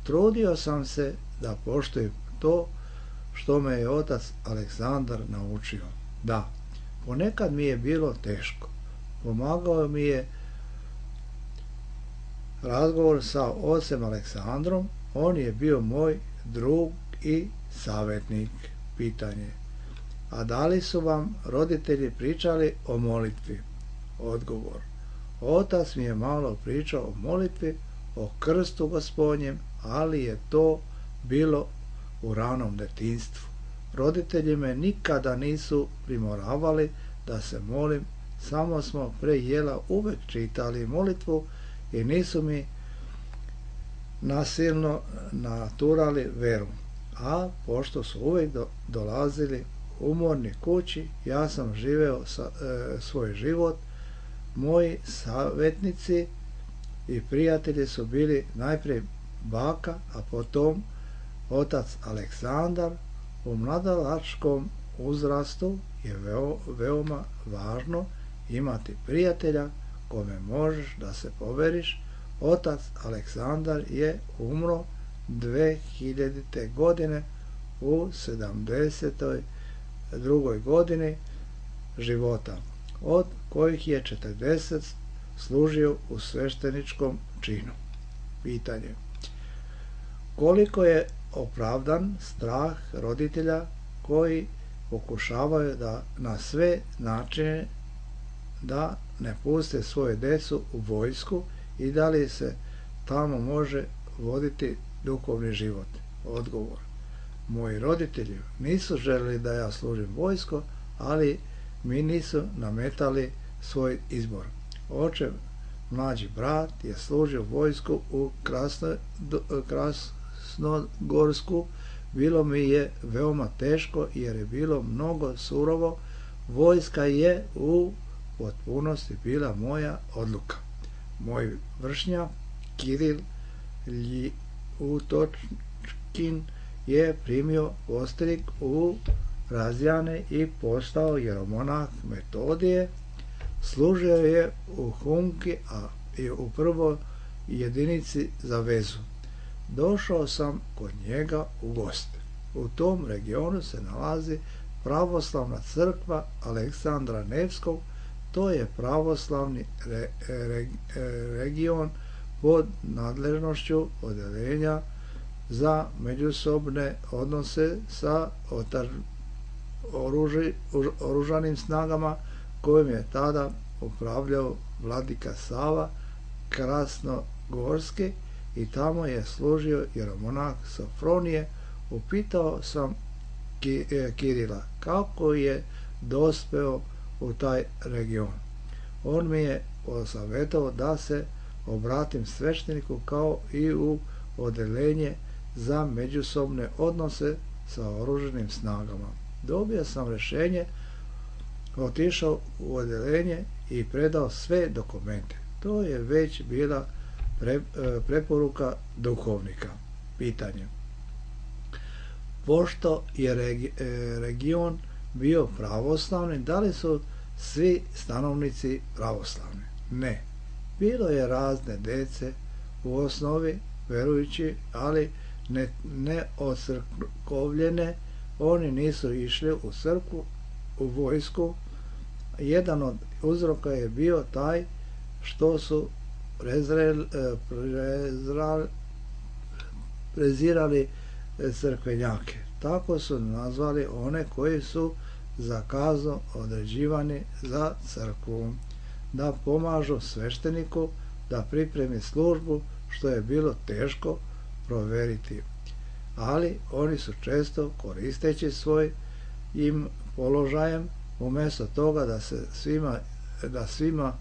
trudio sam se da poštujem to što me je otac Aleksandar naučio. Da, ponekad mi je bilo teško. Pomagao mi je razgovor sa ocem Aleksandrom, on je bio moj drug i savjetnik. Pitanje: a da li su vam roditelji pričali o molitvi? Odgovor: otac mi je malo pričao o molitvi, o krstu Gospodnjem, ali je to bilo u ranom detinjstvu. Roditelji me nikada nisu primoravali da se molim, samo smo pre jela uvek čitali molitvu i nisu mi nasilno naturali veru. A pošto su uvek dolazili umorni kući, ja sam živeo svoj život. Moji savjetnici i prijatelji su bili najprije baka, a potom otac Aleksandar. U mladalačkom uzrastu je veoma važno imati prijatelja kome možeš da se poveriš. Otac Aleksandar je umro 2000. godine u 72. godini života, od kojih je 40 služio u svešteničkom činu. Pitanje: koliko je opravdan strah roditelja koji pokušavaju da na sve načine da ne puste svoje decu u vojsku i da li se tamo može voditi duhovni život? Odgovor: moji roditelji nisu želeli da ja služim vojsko, ali mi nisu nametali svoj izbor. Očev mlađi brat je služio vojsku u Krasnogorsku. Bilo mi je veoma teško jer je bilo mnogo surovo. Vojska je u potpunosti bila moja odluka. Moj vršnjak Kiril Ljutočkin je primio postrik u Razjane i postao jeromonah Metodije. Služio je u Humki, a i u prvoj jedinici za vezu. Došao sam kod njega u goste. U tom regionu se nalazi pravoslavna crkva Aleksandra Nevskog. To je pravoslavni region pod nadležnošću odeljenja za međusobne odnose sa oružanim snagama kojim je tada upravljao vladika Sava Krasnogorski i tamo je služio jeromonah Sofronije. Upitao sam Kirila kako je dospeo u taj region. On mi je posavjetovao da se obratim svešteniku kao i u odeljenje za međusobne odnose sa oružanim snagama. Dobio sam rješenje, otišao u odeljenje i predao sve dokumente. To je već bila preporuka duhovnika. Pitanje: pošto je region bio pravoslavni, da li su svi stanovnici pravoslavni? Ne. Bilo je razne dece u osnovi verujući, ali ne ocrkovljene. Oni nisu išli u crkvu, u vojsku. Jedan od uzroka je bio taj što su prezirali crkvenjake. Tako su nazvali one koji su za kaznu određivani za crkvu, da pomažu svešteniku da pripremi službu, što je bilo teško proveriti. Ali oni su često, koristeći svojim položajem, umjesto toga da svima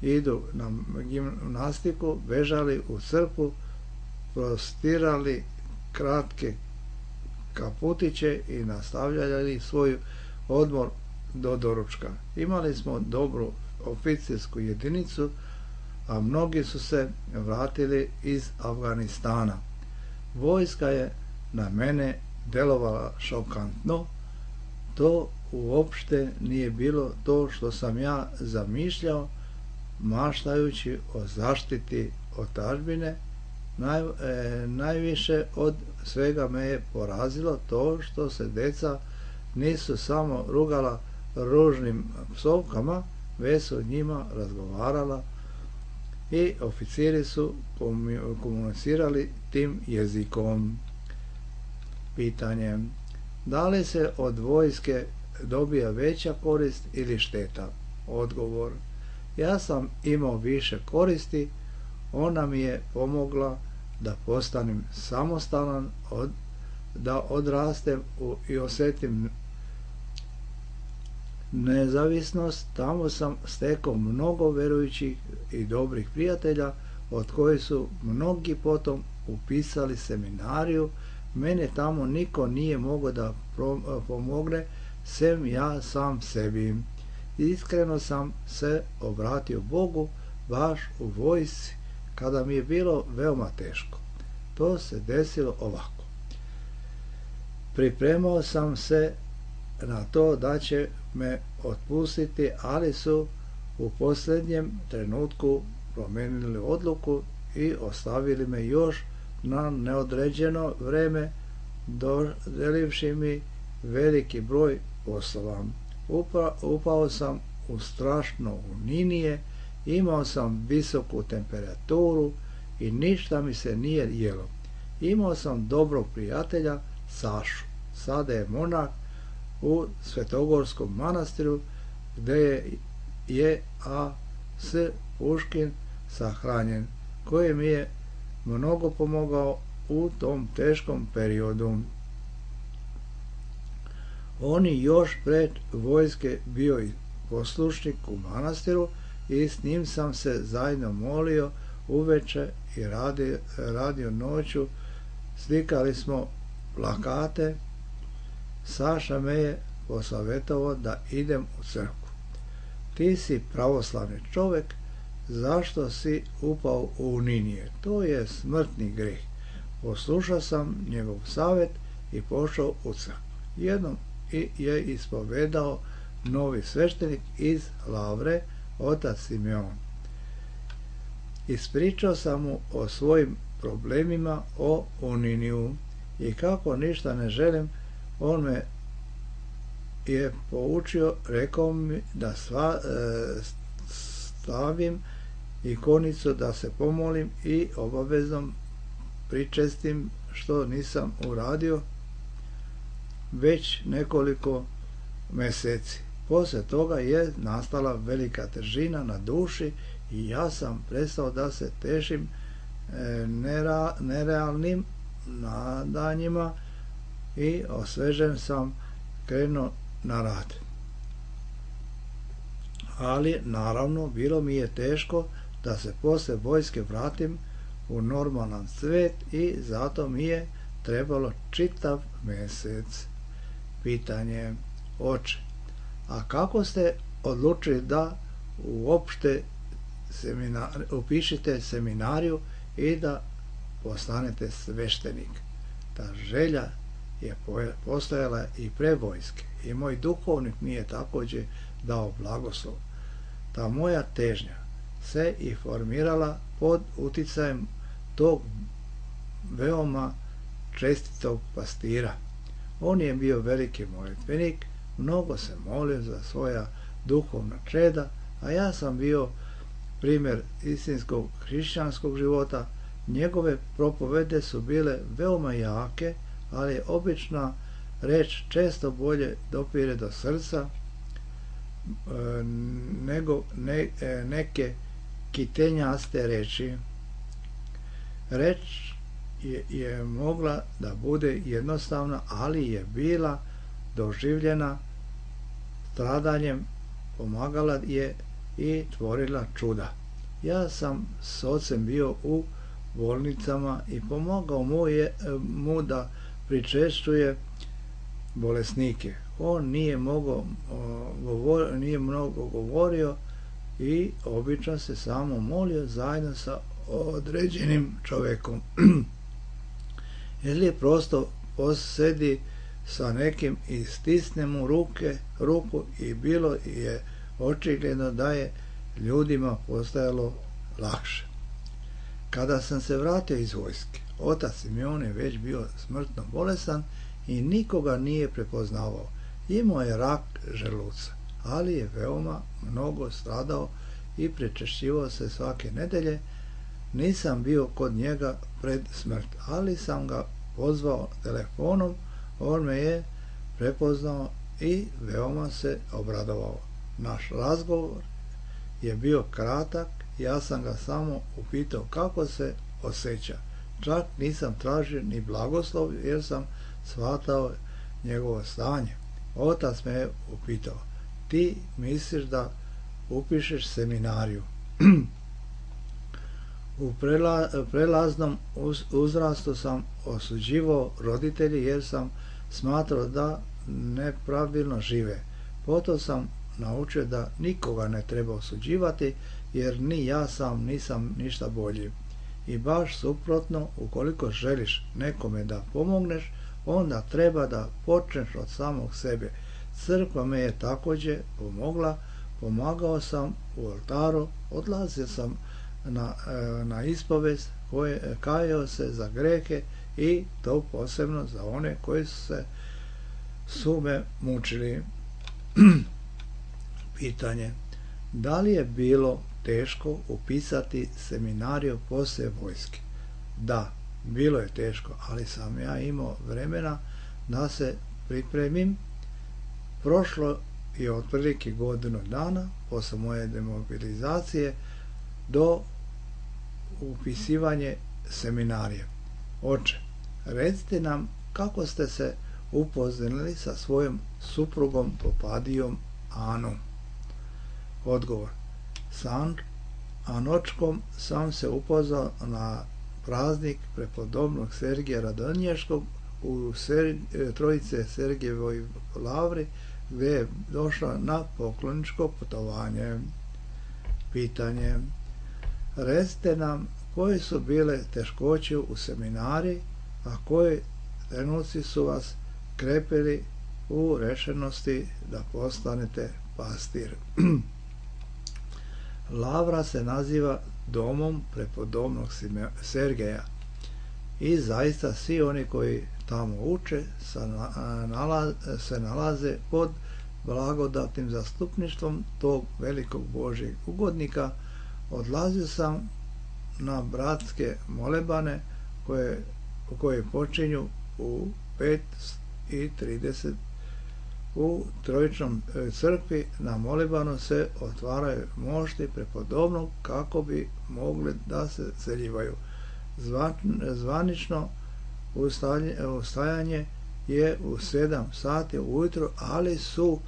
idu na gimnastiku, bežali u crkvu, prostirali kratke kaputiće i nastavljali svoj odmor do doručka. Imali smo dobru oficirsku jedinicu, a mnogi su se vratili iz Afganistana. Vojska je na mene delovala šokantno. To uopšte nije bilo to što sam ja zamišljao, maštajući o zaštiti otadžbine. Najviše od svega me je porazilo to što se deca nisu samo rugala ružnim psovkama, već su njima razgovarala i oficiri su komunicirali tim jezikom. Pitanje: da li se od vojske dobija veća korist ili šteta? Odgovor: ja sam imao više koristi, ona mi je pomogla da postanem samostalan, da odrastem i osjetim nezavisnost. Tamo sam stekao mnogo verujućih i dobrih prijatelja, od kojih su mnogi potom upisali seminariju. Mene tamo niko nije mogao da pomogne, sem ja sam sebi. Iskreno sam se obratio Bogu baš u vojsci, kada mi je bilo veoma teško. To se desilo ovako. Pripremao sam se na to da će me otpustiti, ali su u posljednjem trenutku promijenili odluku i ostavili me još na neodređeno vreme, dodelivši mi veliki broj poslova. Upao sam u strašno uninije, imao sam visoku temperaturu i ništa mi se nije jelo. Imao sam dobrog prijatelja, Sašu. Sada je monah u Svetogorskom manastiru, gdje je A.S. Puškin sahranjen, koji mi je mnogo pomogao u tom teškom periodu. On je još pred vojske bio i poslušnik u manastiru i s njim sam se zajedno molio uveče i radio noću. Slikali smo plakate. Saša me je posavjetovao da idem u crkvu. Ti si pravoslavni čovjek, zašto si upao u uninije? To je smrtni greh. Poslušao sam njegov savjet i pošao u crkvu. Jednom je ispovedao novi sveštenik iz Lavre, otac Simeon. Ispričao sam mu o svojim problemima, o uniniju, i kako ništa ne želim, on me je poučio, rekao mi da stavim ikonicu, da se pomolim i obavezno pričestim, što nisam uradio već nekoliko mjeseci. Poslije toga je nastala velika težina na duši i ja sam prestao da se tešim nerealnim nadanjima i osvežen sam krenuo na rad. Ali naravno bilo mi je teško da se poslije vojske vratim u normalan svijet i zato mi je trebalo čitav mjesec. Pitanje: oče, a kako ste odlučili da uopšte upišite seminariju i da postanete sveštenik? Ta želja je postojala i pre vojske i moj duhovnik mi je također dao blagoslov. Ta moja težnja se i formirala pod uticajem tog veoma čestitog pastira. On je bio veliki molitvenik, mnogo se molio za svoja duhovna čeda, a ja sam bio primjer istinskog hrišćanskog života. Njegove propovede su bile veoma jake, ali obična reč često bolje dopire do srca nego neke kitenjaste reči. Reč je mogla da bude jednostavna, ali je bila doživljena stradanjem, pomagala je i tvorila čuda. Ja sam s ocem bio u bolnicama i pomagao mu da pričešćuje bolesnike. On nije mnogo govorio i obično se samo molio zajedno sa određenim čovjekom. Ili je prosto posedi sa nekim i stisne mu ruku i bilo je očigledno da je ljudima postajalo lakše. Kada sam se vratio iz vojske, otac Simeon je već bio smrtno bolestan i nikoga nije prepoznavao. Imao je rak želuca, ali je veoma mnogo stradao i prečešćivao se svake nedelje. Nisam bio kod njega pred smrt, ali sam ga pozvao telefonom, on me je prepoznao i veoma se obradovao. Naš razgovor je bio kratak, ja sam ga samo upitao kako se osjeća. Čak nisam tražio ni blagoslov jer sam shvatao njegovo stanje. Otac me je upitao, ti misliš da upišeš seminariju? U prelaznom uzrastu sam osuđivao roditelji jer sam smatrao da nepravilno žive. Potom sam naučio da nikoga ne treba osuđivati jer ni ja sam nisam ništa bolji. I baš suprotno, ukoliko želiš nekome da pomogneš, onda treba da počneš od samog sebe. Crkva me je također pomogla, pomagao sam u oltaru, odlazio sam na ispovest, kajao se za grehe i to posebno za one koji su me mučili. Pitanje, da li je bilo teško upisati seminariju poslije vojske? Da, bilo je teško, ali sam ja imao vremena da se pripremim. Prošlo je otprilike godinu dana posle moje demobilizacije do upisivanja seminarije. Oče, recite nam kako ste se upoznali sa svojom suprugom Popadijom Anom. Odgovor, sa Anočkom sam se upoznao na praznik prepodobnog Sergija Radonješkog u Trojice Sergijevoj lavri, gdje je došla na pokloničko putovanje. Pitanje, recite nam koje su bile teškoće u seminariji, a koji trenuci su vas krepili u rešenosti da postanete pastir. Lavra se naziva domom prepodobnog Sergeja i zaista svi oni koji tamo uče se nalaze pod blagodatnim zastupništvom tog velikog Božjeg ugodnika. Odlazio sam na bratske molebane koje počinju u 5:30 u Trojičnom crkvi. Na molebanu se otvaraju mošti prepodobnog kako bi mogli da se celjivaju. Zvanično ustajanje je u 7 sati ujutro, ali su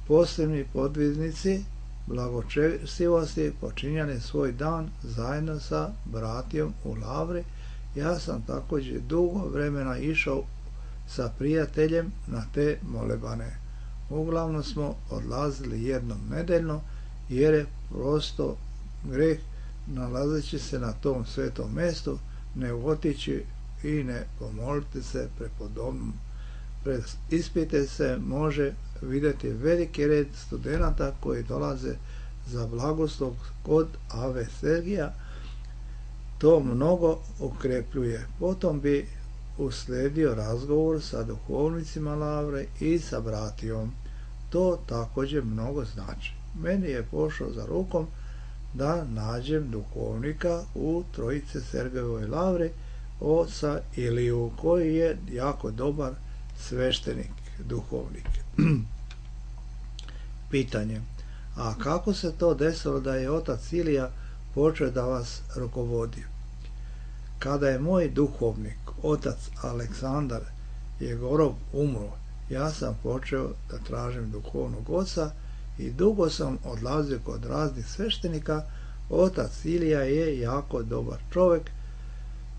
posebni podviznici blagočestivosti počinjali svoj dan zajedno sa bratijom u lavri. Ja sam također dugo vremena išao sa prijateljem na te molebane. Uglavnom smo odlazili jednom nedeljno jer je prosto greh nalazeći se na tom svetom mjestu ne otići i ne pomoliti se prepodobnom. Pred ispite se može vidjeti veliki red studenata koji dolaze za blagoslov kod Ave Sergija. To mnogo ukrepljuje. Potom bi usledio razgovor sa duhovnicima lavre i sa bratijom. To također mnogo znači. Meni je pošao za rukom da nađem duhovnika u Trojice Sergejevoj lavri, oca Iliju, koji je jako dobar sveštenik, duhovnik. Pitanje, a kako se to desilo da je otac Ilija počeo da vas rukovodi? Kada je moj duhovnik, otac Aleksandar Jegorov, umro, ja sam počeo da tražim duhovnog oca i dugo sam odlazio kod raznih sveštenika. Otac Ilija je jako dobar čovjek,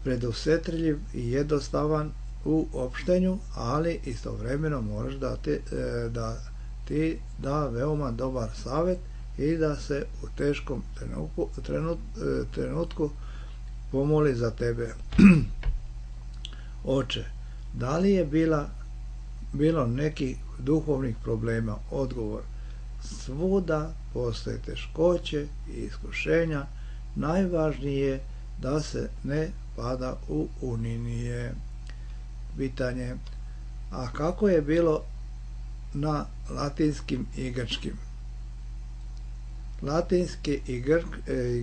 predusetljiv i jednostavan u opštenju, ali istovremeno moraš ti da veoma dobar savjet i da se u teškom trenutku pomoli za tebe. Oče, Da li je bilo nekih duhovnih problema? Odgovor: svuda postoje teškoće i iskušenja, najvažnije je da se ne pada u uninije. Pitanje: a kako je bilo na latinskim i grčkim? Latinski i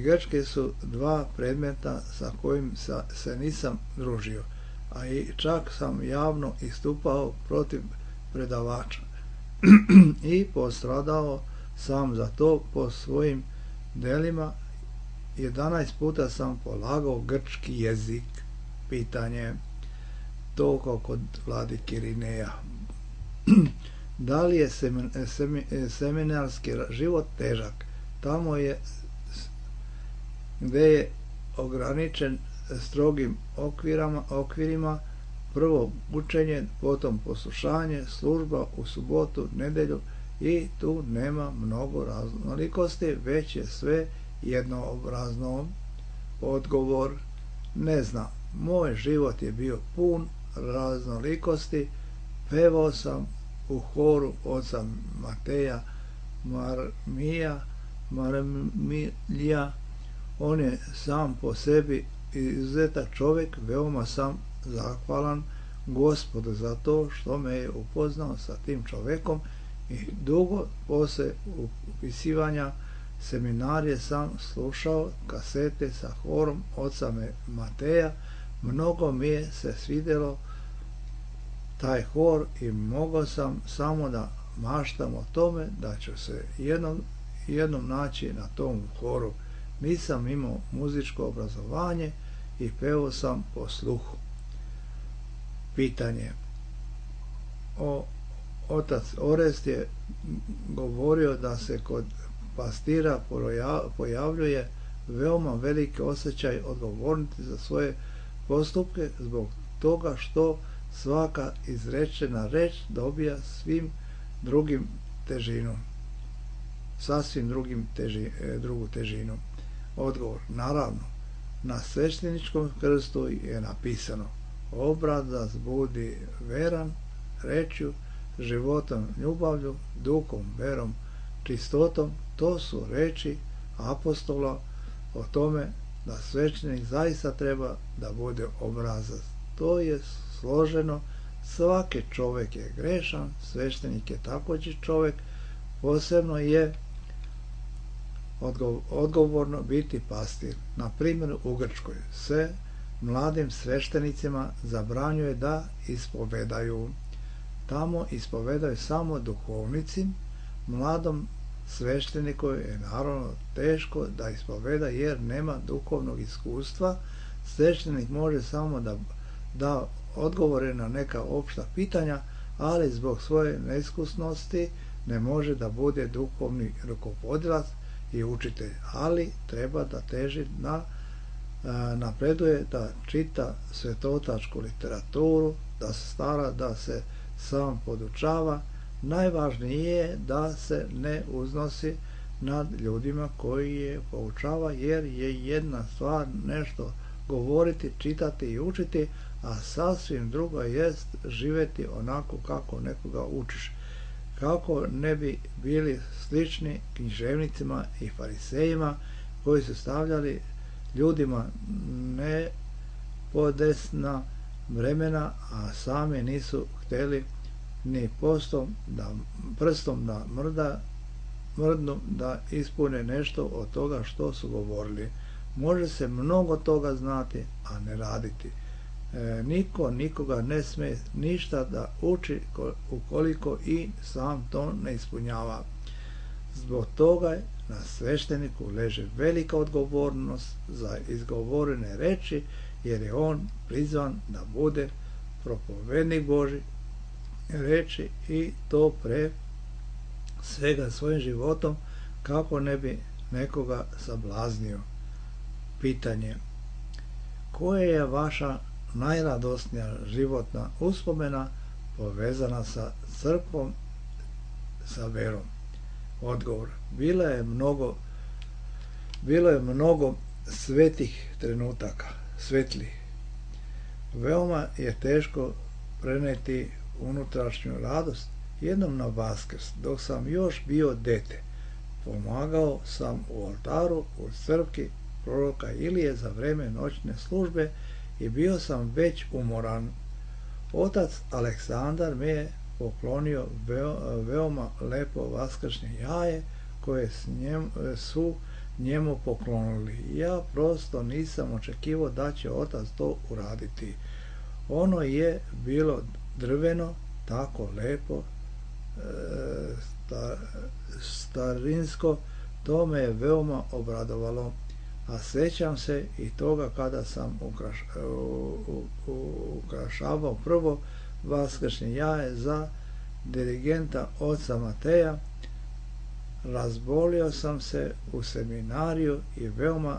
grčki su dva predmeta sa kojim se nisam družio, a i čak sam javno istupao protiv predavača i postradao sam za to po svojim delima. 11 puta sam polagao grčki jezik. Pitanje: to kao kod vladike Irineja. Da li je seminarski život težak? Tamo je gde je ograničen strogim okvirima, prvo učenje, potom poslušanje, služba u subotu, nedelju, i tu nema mnogo raznolikosti, već je sve jednoobrazno. Odgovor: ne znam. Moj život je bio pun raznolikosti. Pevao sam u horu oca Mateja Marmilija. On je sam po sebi izuzetak čovjek. Veoma sam zahvalan Gospodu za to što me je upoznao sa tim čovjekom, i dugo poslije upisivanja seminarije sam slušao kasete sa horom oca Mateja. Mnogo mi je se svidjelo taj hor i mogao sam samo da maštam o tome da ću se jednom naći na tom horu. Nisam imao muzičko obrazovanje i pevao sam po sluhu. Pitanje: otac Orest je govorio da se kod pastira pojavljuje veoma veliki osjećaj odgovornosti za svoje postupke, zbog toga što svaka izrečena reč dobija sasvim drugu težinu. Odgovor: naravno. Na svešteničkom krstu je napisano: obrazac budi veran rečju, životom ljubavlju, duhom, verom, čistotom. To su reči apostola o tome da svećenik zaista treba da bude obrazac. To je složeno. Svaki čovjek je grešan, svećenik je također čovjek. Posebno je odgovorno biti pastir. Na primjer, u Grčkoj se mladim sveštenicima zabranjuje da ispovedaju. Tamo ispovedaju samo duhovnici. Mladom svešteniku je naravno teško da ispoveda jer nema duhovnog iskustva. Sveštenik može samo da odgovore na neka opšta pitanja, ali zbog svoje neiskusnosti ne može da bude duhovni rukovodilac i učitelj, ali treba da teži napreduje, da čita svetotačku literaturu, da se stara da se sam podučava. Najvažnije je da se ne uznosi nad ljudima koji je poučava, jer je jedna stvar nešto govoriti, čitati i učiti, a sasvim druga jest živjeti onako kako nekoga učiš. Kako ne bi bili slični književnicima i farisejima koji su stavljali ljudima nepodesna vremena, a sami nisu htjeli ni prstom da mrdnu da ispune nešto od toga što su govorili. Može se mnogo toga znati, a ne raditi. Niko nikoga ne sme ništa da uči ukoliko i sam to ne ispunjava. Zbog toga na svešteniku leži velika odgovornost za izgovorene reči, jer je on prizvan da bude propovednik Božji reči, i to pre svega svojim životom, kako ne bi nekoga sablaznio. Pitanje: koja je vaša najradosnija životna uspomena povezana sa crkvom, sa verom? Odgovor: bilo je mnogo svetih trenutaka, svetlih. Veoma je teško preneti unutrašnju radost. Jednom na Vaskrs, dok sam još bio dete, pomagao sam u oltaru u crkvi proroka Ilije za vreme noćne službe i bio sam već umoran. Otac Aleksandar me je poklonio veoma lepo vaskršnje jaje koje su njemu poklonili. Ja prosto nisam očekivao da će otac to uraditi. Ono je bilo drveno, tako lepo, starinsko, to me je veoma obradovalo. A sećam se i toga kada sam ukrašavao prvo vaskršnje jaje za dirigenta oca Mateja. Razbolio sam se u seminariju i veoma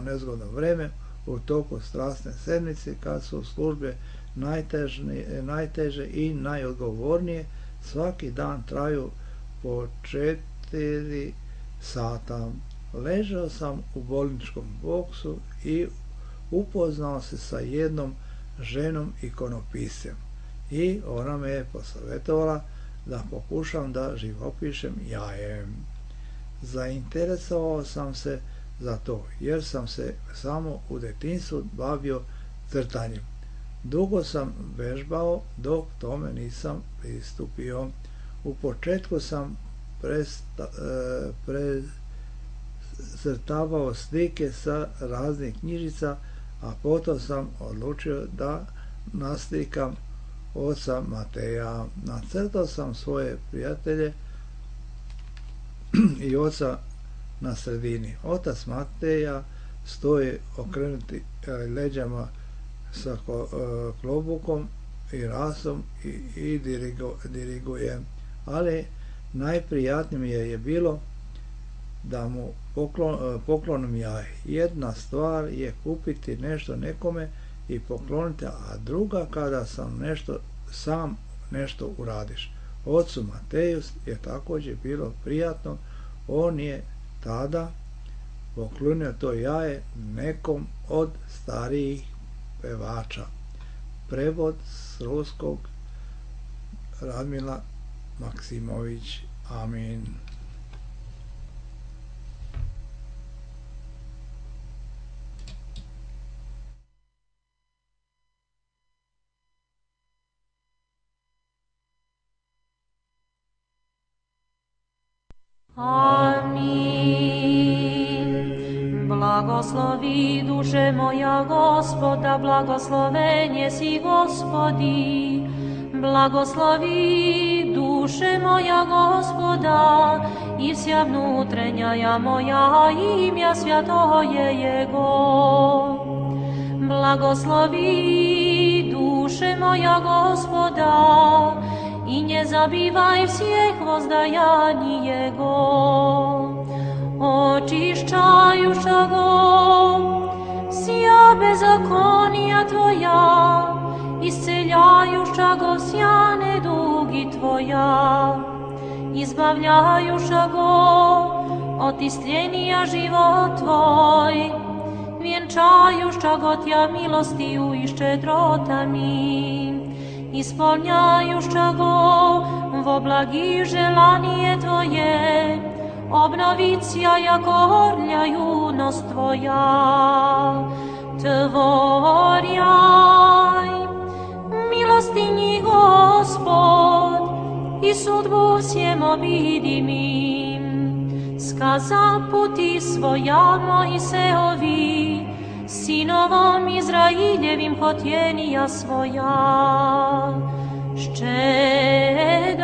nezgodno vreme u toku strasne sedmice, kad su službe najteže i najodgovornije. Svaki dan traju po 4 sata. Ležao sam u bolničkom boksu i upoznao se sa jednom ženom ikonopiscem i ona me je posavjetovala da pokušam da živopišem jaje. Zainteresovao sam se za to, jer sam se samo u detinjstvu bavio crtanjem. Dugo sam vežbao, dok tome nisam pristupio. U početku sam precrtavao slike sa raznih knjižica, a potom sam odlučio da naslikam oca Mateja. Nacrtao sam svoje prijatelje i oca na sredini. Otac Mateja stoji okrenuti leđama sa klobukom i rasom i diriguje. Ali najprijatnije mi je bilo da mu poklonim jaje. Jedna stvar je kupiti nešto nekome i pokloniti, a druga kada sam nešto uradiš. Ocu Mateju je također bilo prijatno. On je tada poklonio to jaje nekom od starijih pevača. Prevod s ruskog Radmila Maksimović. Amin. Amin. Blagoslovi duše moja Gospoda, blagosloven jesi Gospodi. Blagoslovi duše moja Gospoda, i vся внутренняя moja imja svjatoje Jego. Blagoslovi duše moja Gospoda, i nie zabivaj всех воздаянij Jego. Očišćajušago sja bezakonija Tvoja, isceljajušago sja nedugi Tvoja, izbavljajušago od istljenija život Tvoj, vjenčajušago Tja milostiju i ščedrotami, ispunjajušago vo blagi želanije Tvoje, obnovicija jako orlja junost Tvoja. Tvorjaj milostinji Gospod i sudbu всем обидимим. Сказа пути своя Моисеови, sinovom Izrailjevim hotjenija svoja. Ščedar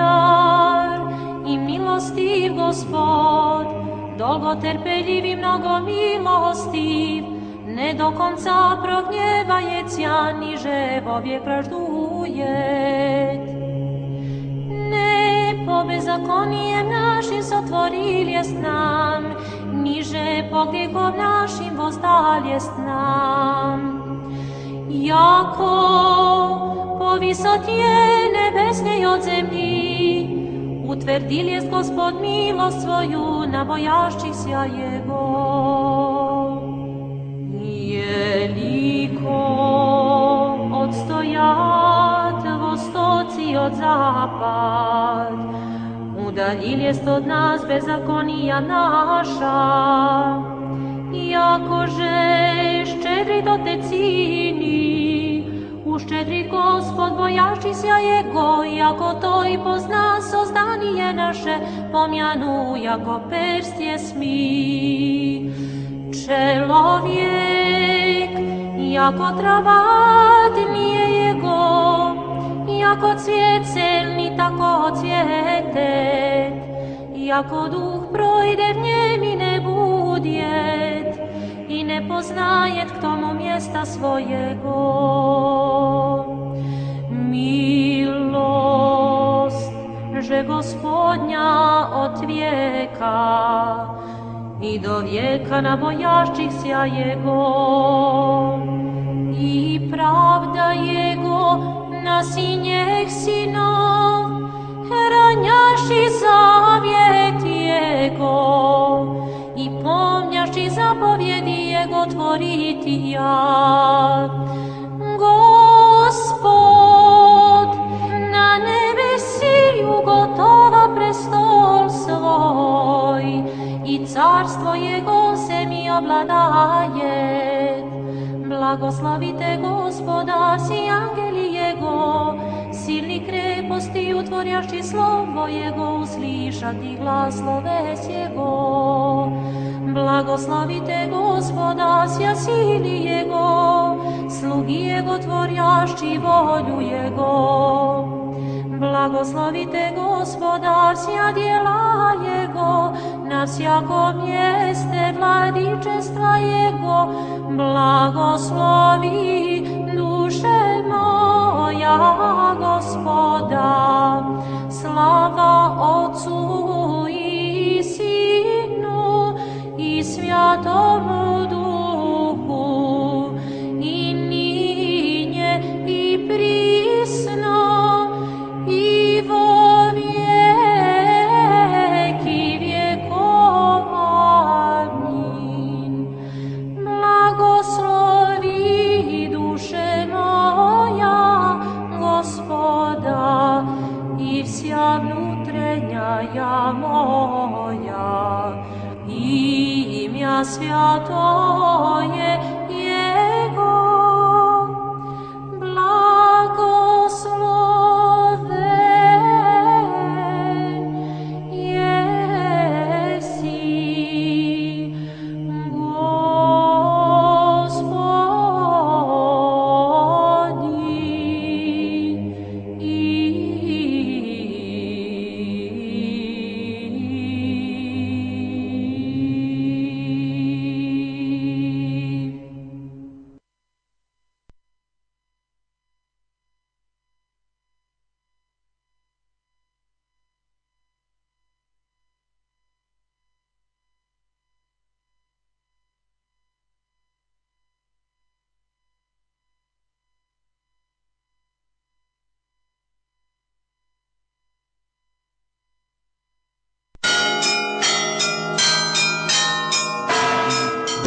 i milostiv Gospod, dolgoterpeljiv i mnogo milostiv, ne do konca prognjevajecja, niže vovijek praždujet. Ne po bezakonijem našim sotvoriljest nam, niže po grijehom našim vozdaljest nam. Jako po visotje nebesnej od zemlji, utvrdil jest Gospod milost svoju na bojašćihся Jego. Jeliko udaljiljest od nas bezakonija naša. Jakože ščedrit Otec cini, uščedrit Gospod bojašćisja Jego, jako to i pozna sozdanije naše, pomjanu jako perstje smi. Čelovjek, jako travat nije Jego, jako cvijet celni tako cvijetet, jako duh projde v njem i ne budjet, i ne poznajet k tomu mjesta svojego. Milost, že Gospodnja od vijeka i do vijeka na bojašćihsja Jego, i pravda Jego na sinjeh sinov, ranjaši zavjet Jego, i pomnjaši zapovjedi Jego tvoriti ja. Gospod na nebesi ugotova prestol svoj, i carstvo Jego zemlji obladaje. Blagoslavite Gospoda, si angeli Jego, silni kreposti utvorjaši slovo Jego, uslišati glas sloves Jego. Blagoslavite Gospoda, sja sili Jego, slugi Jego tvorjaši volju Jego. Blagoslavite Gospoda, sja djela Jego, na vsjakom mjeste vladičestva Jego. Blagoslovi duše moja Gospoda, slava Otcu i Sinu i Svjatomu Duhu, i ninje i prisno i vo vijeki vjekov. Amin. Blagoslovi duše moja Gospoda, i vsja vnutrenja moja, i imja svjato je Jego. Blagosloven jesi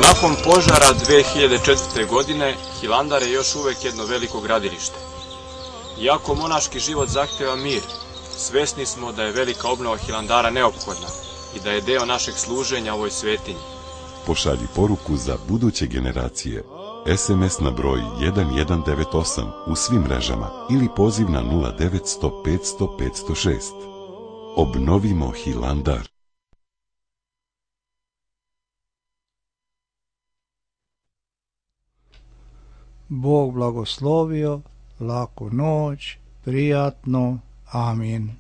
Nakon požara 2004. godine, Hilandar je još uvek jedno veliko gradilište. Iako monaški život zahteva mir, svesni smo da je velika obnova Hilandara neophodna i da je deo našeg služenja ovoj svetinji. Pošalji poruku za buduće generacije. SMS na broj 1198 u svim mrežama ili poziv na 0900 500 506. Obnovimo Hilandar. Bog blagoslovio, laku noć, prijatno, amin.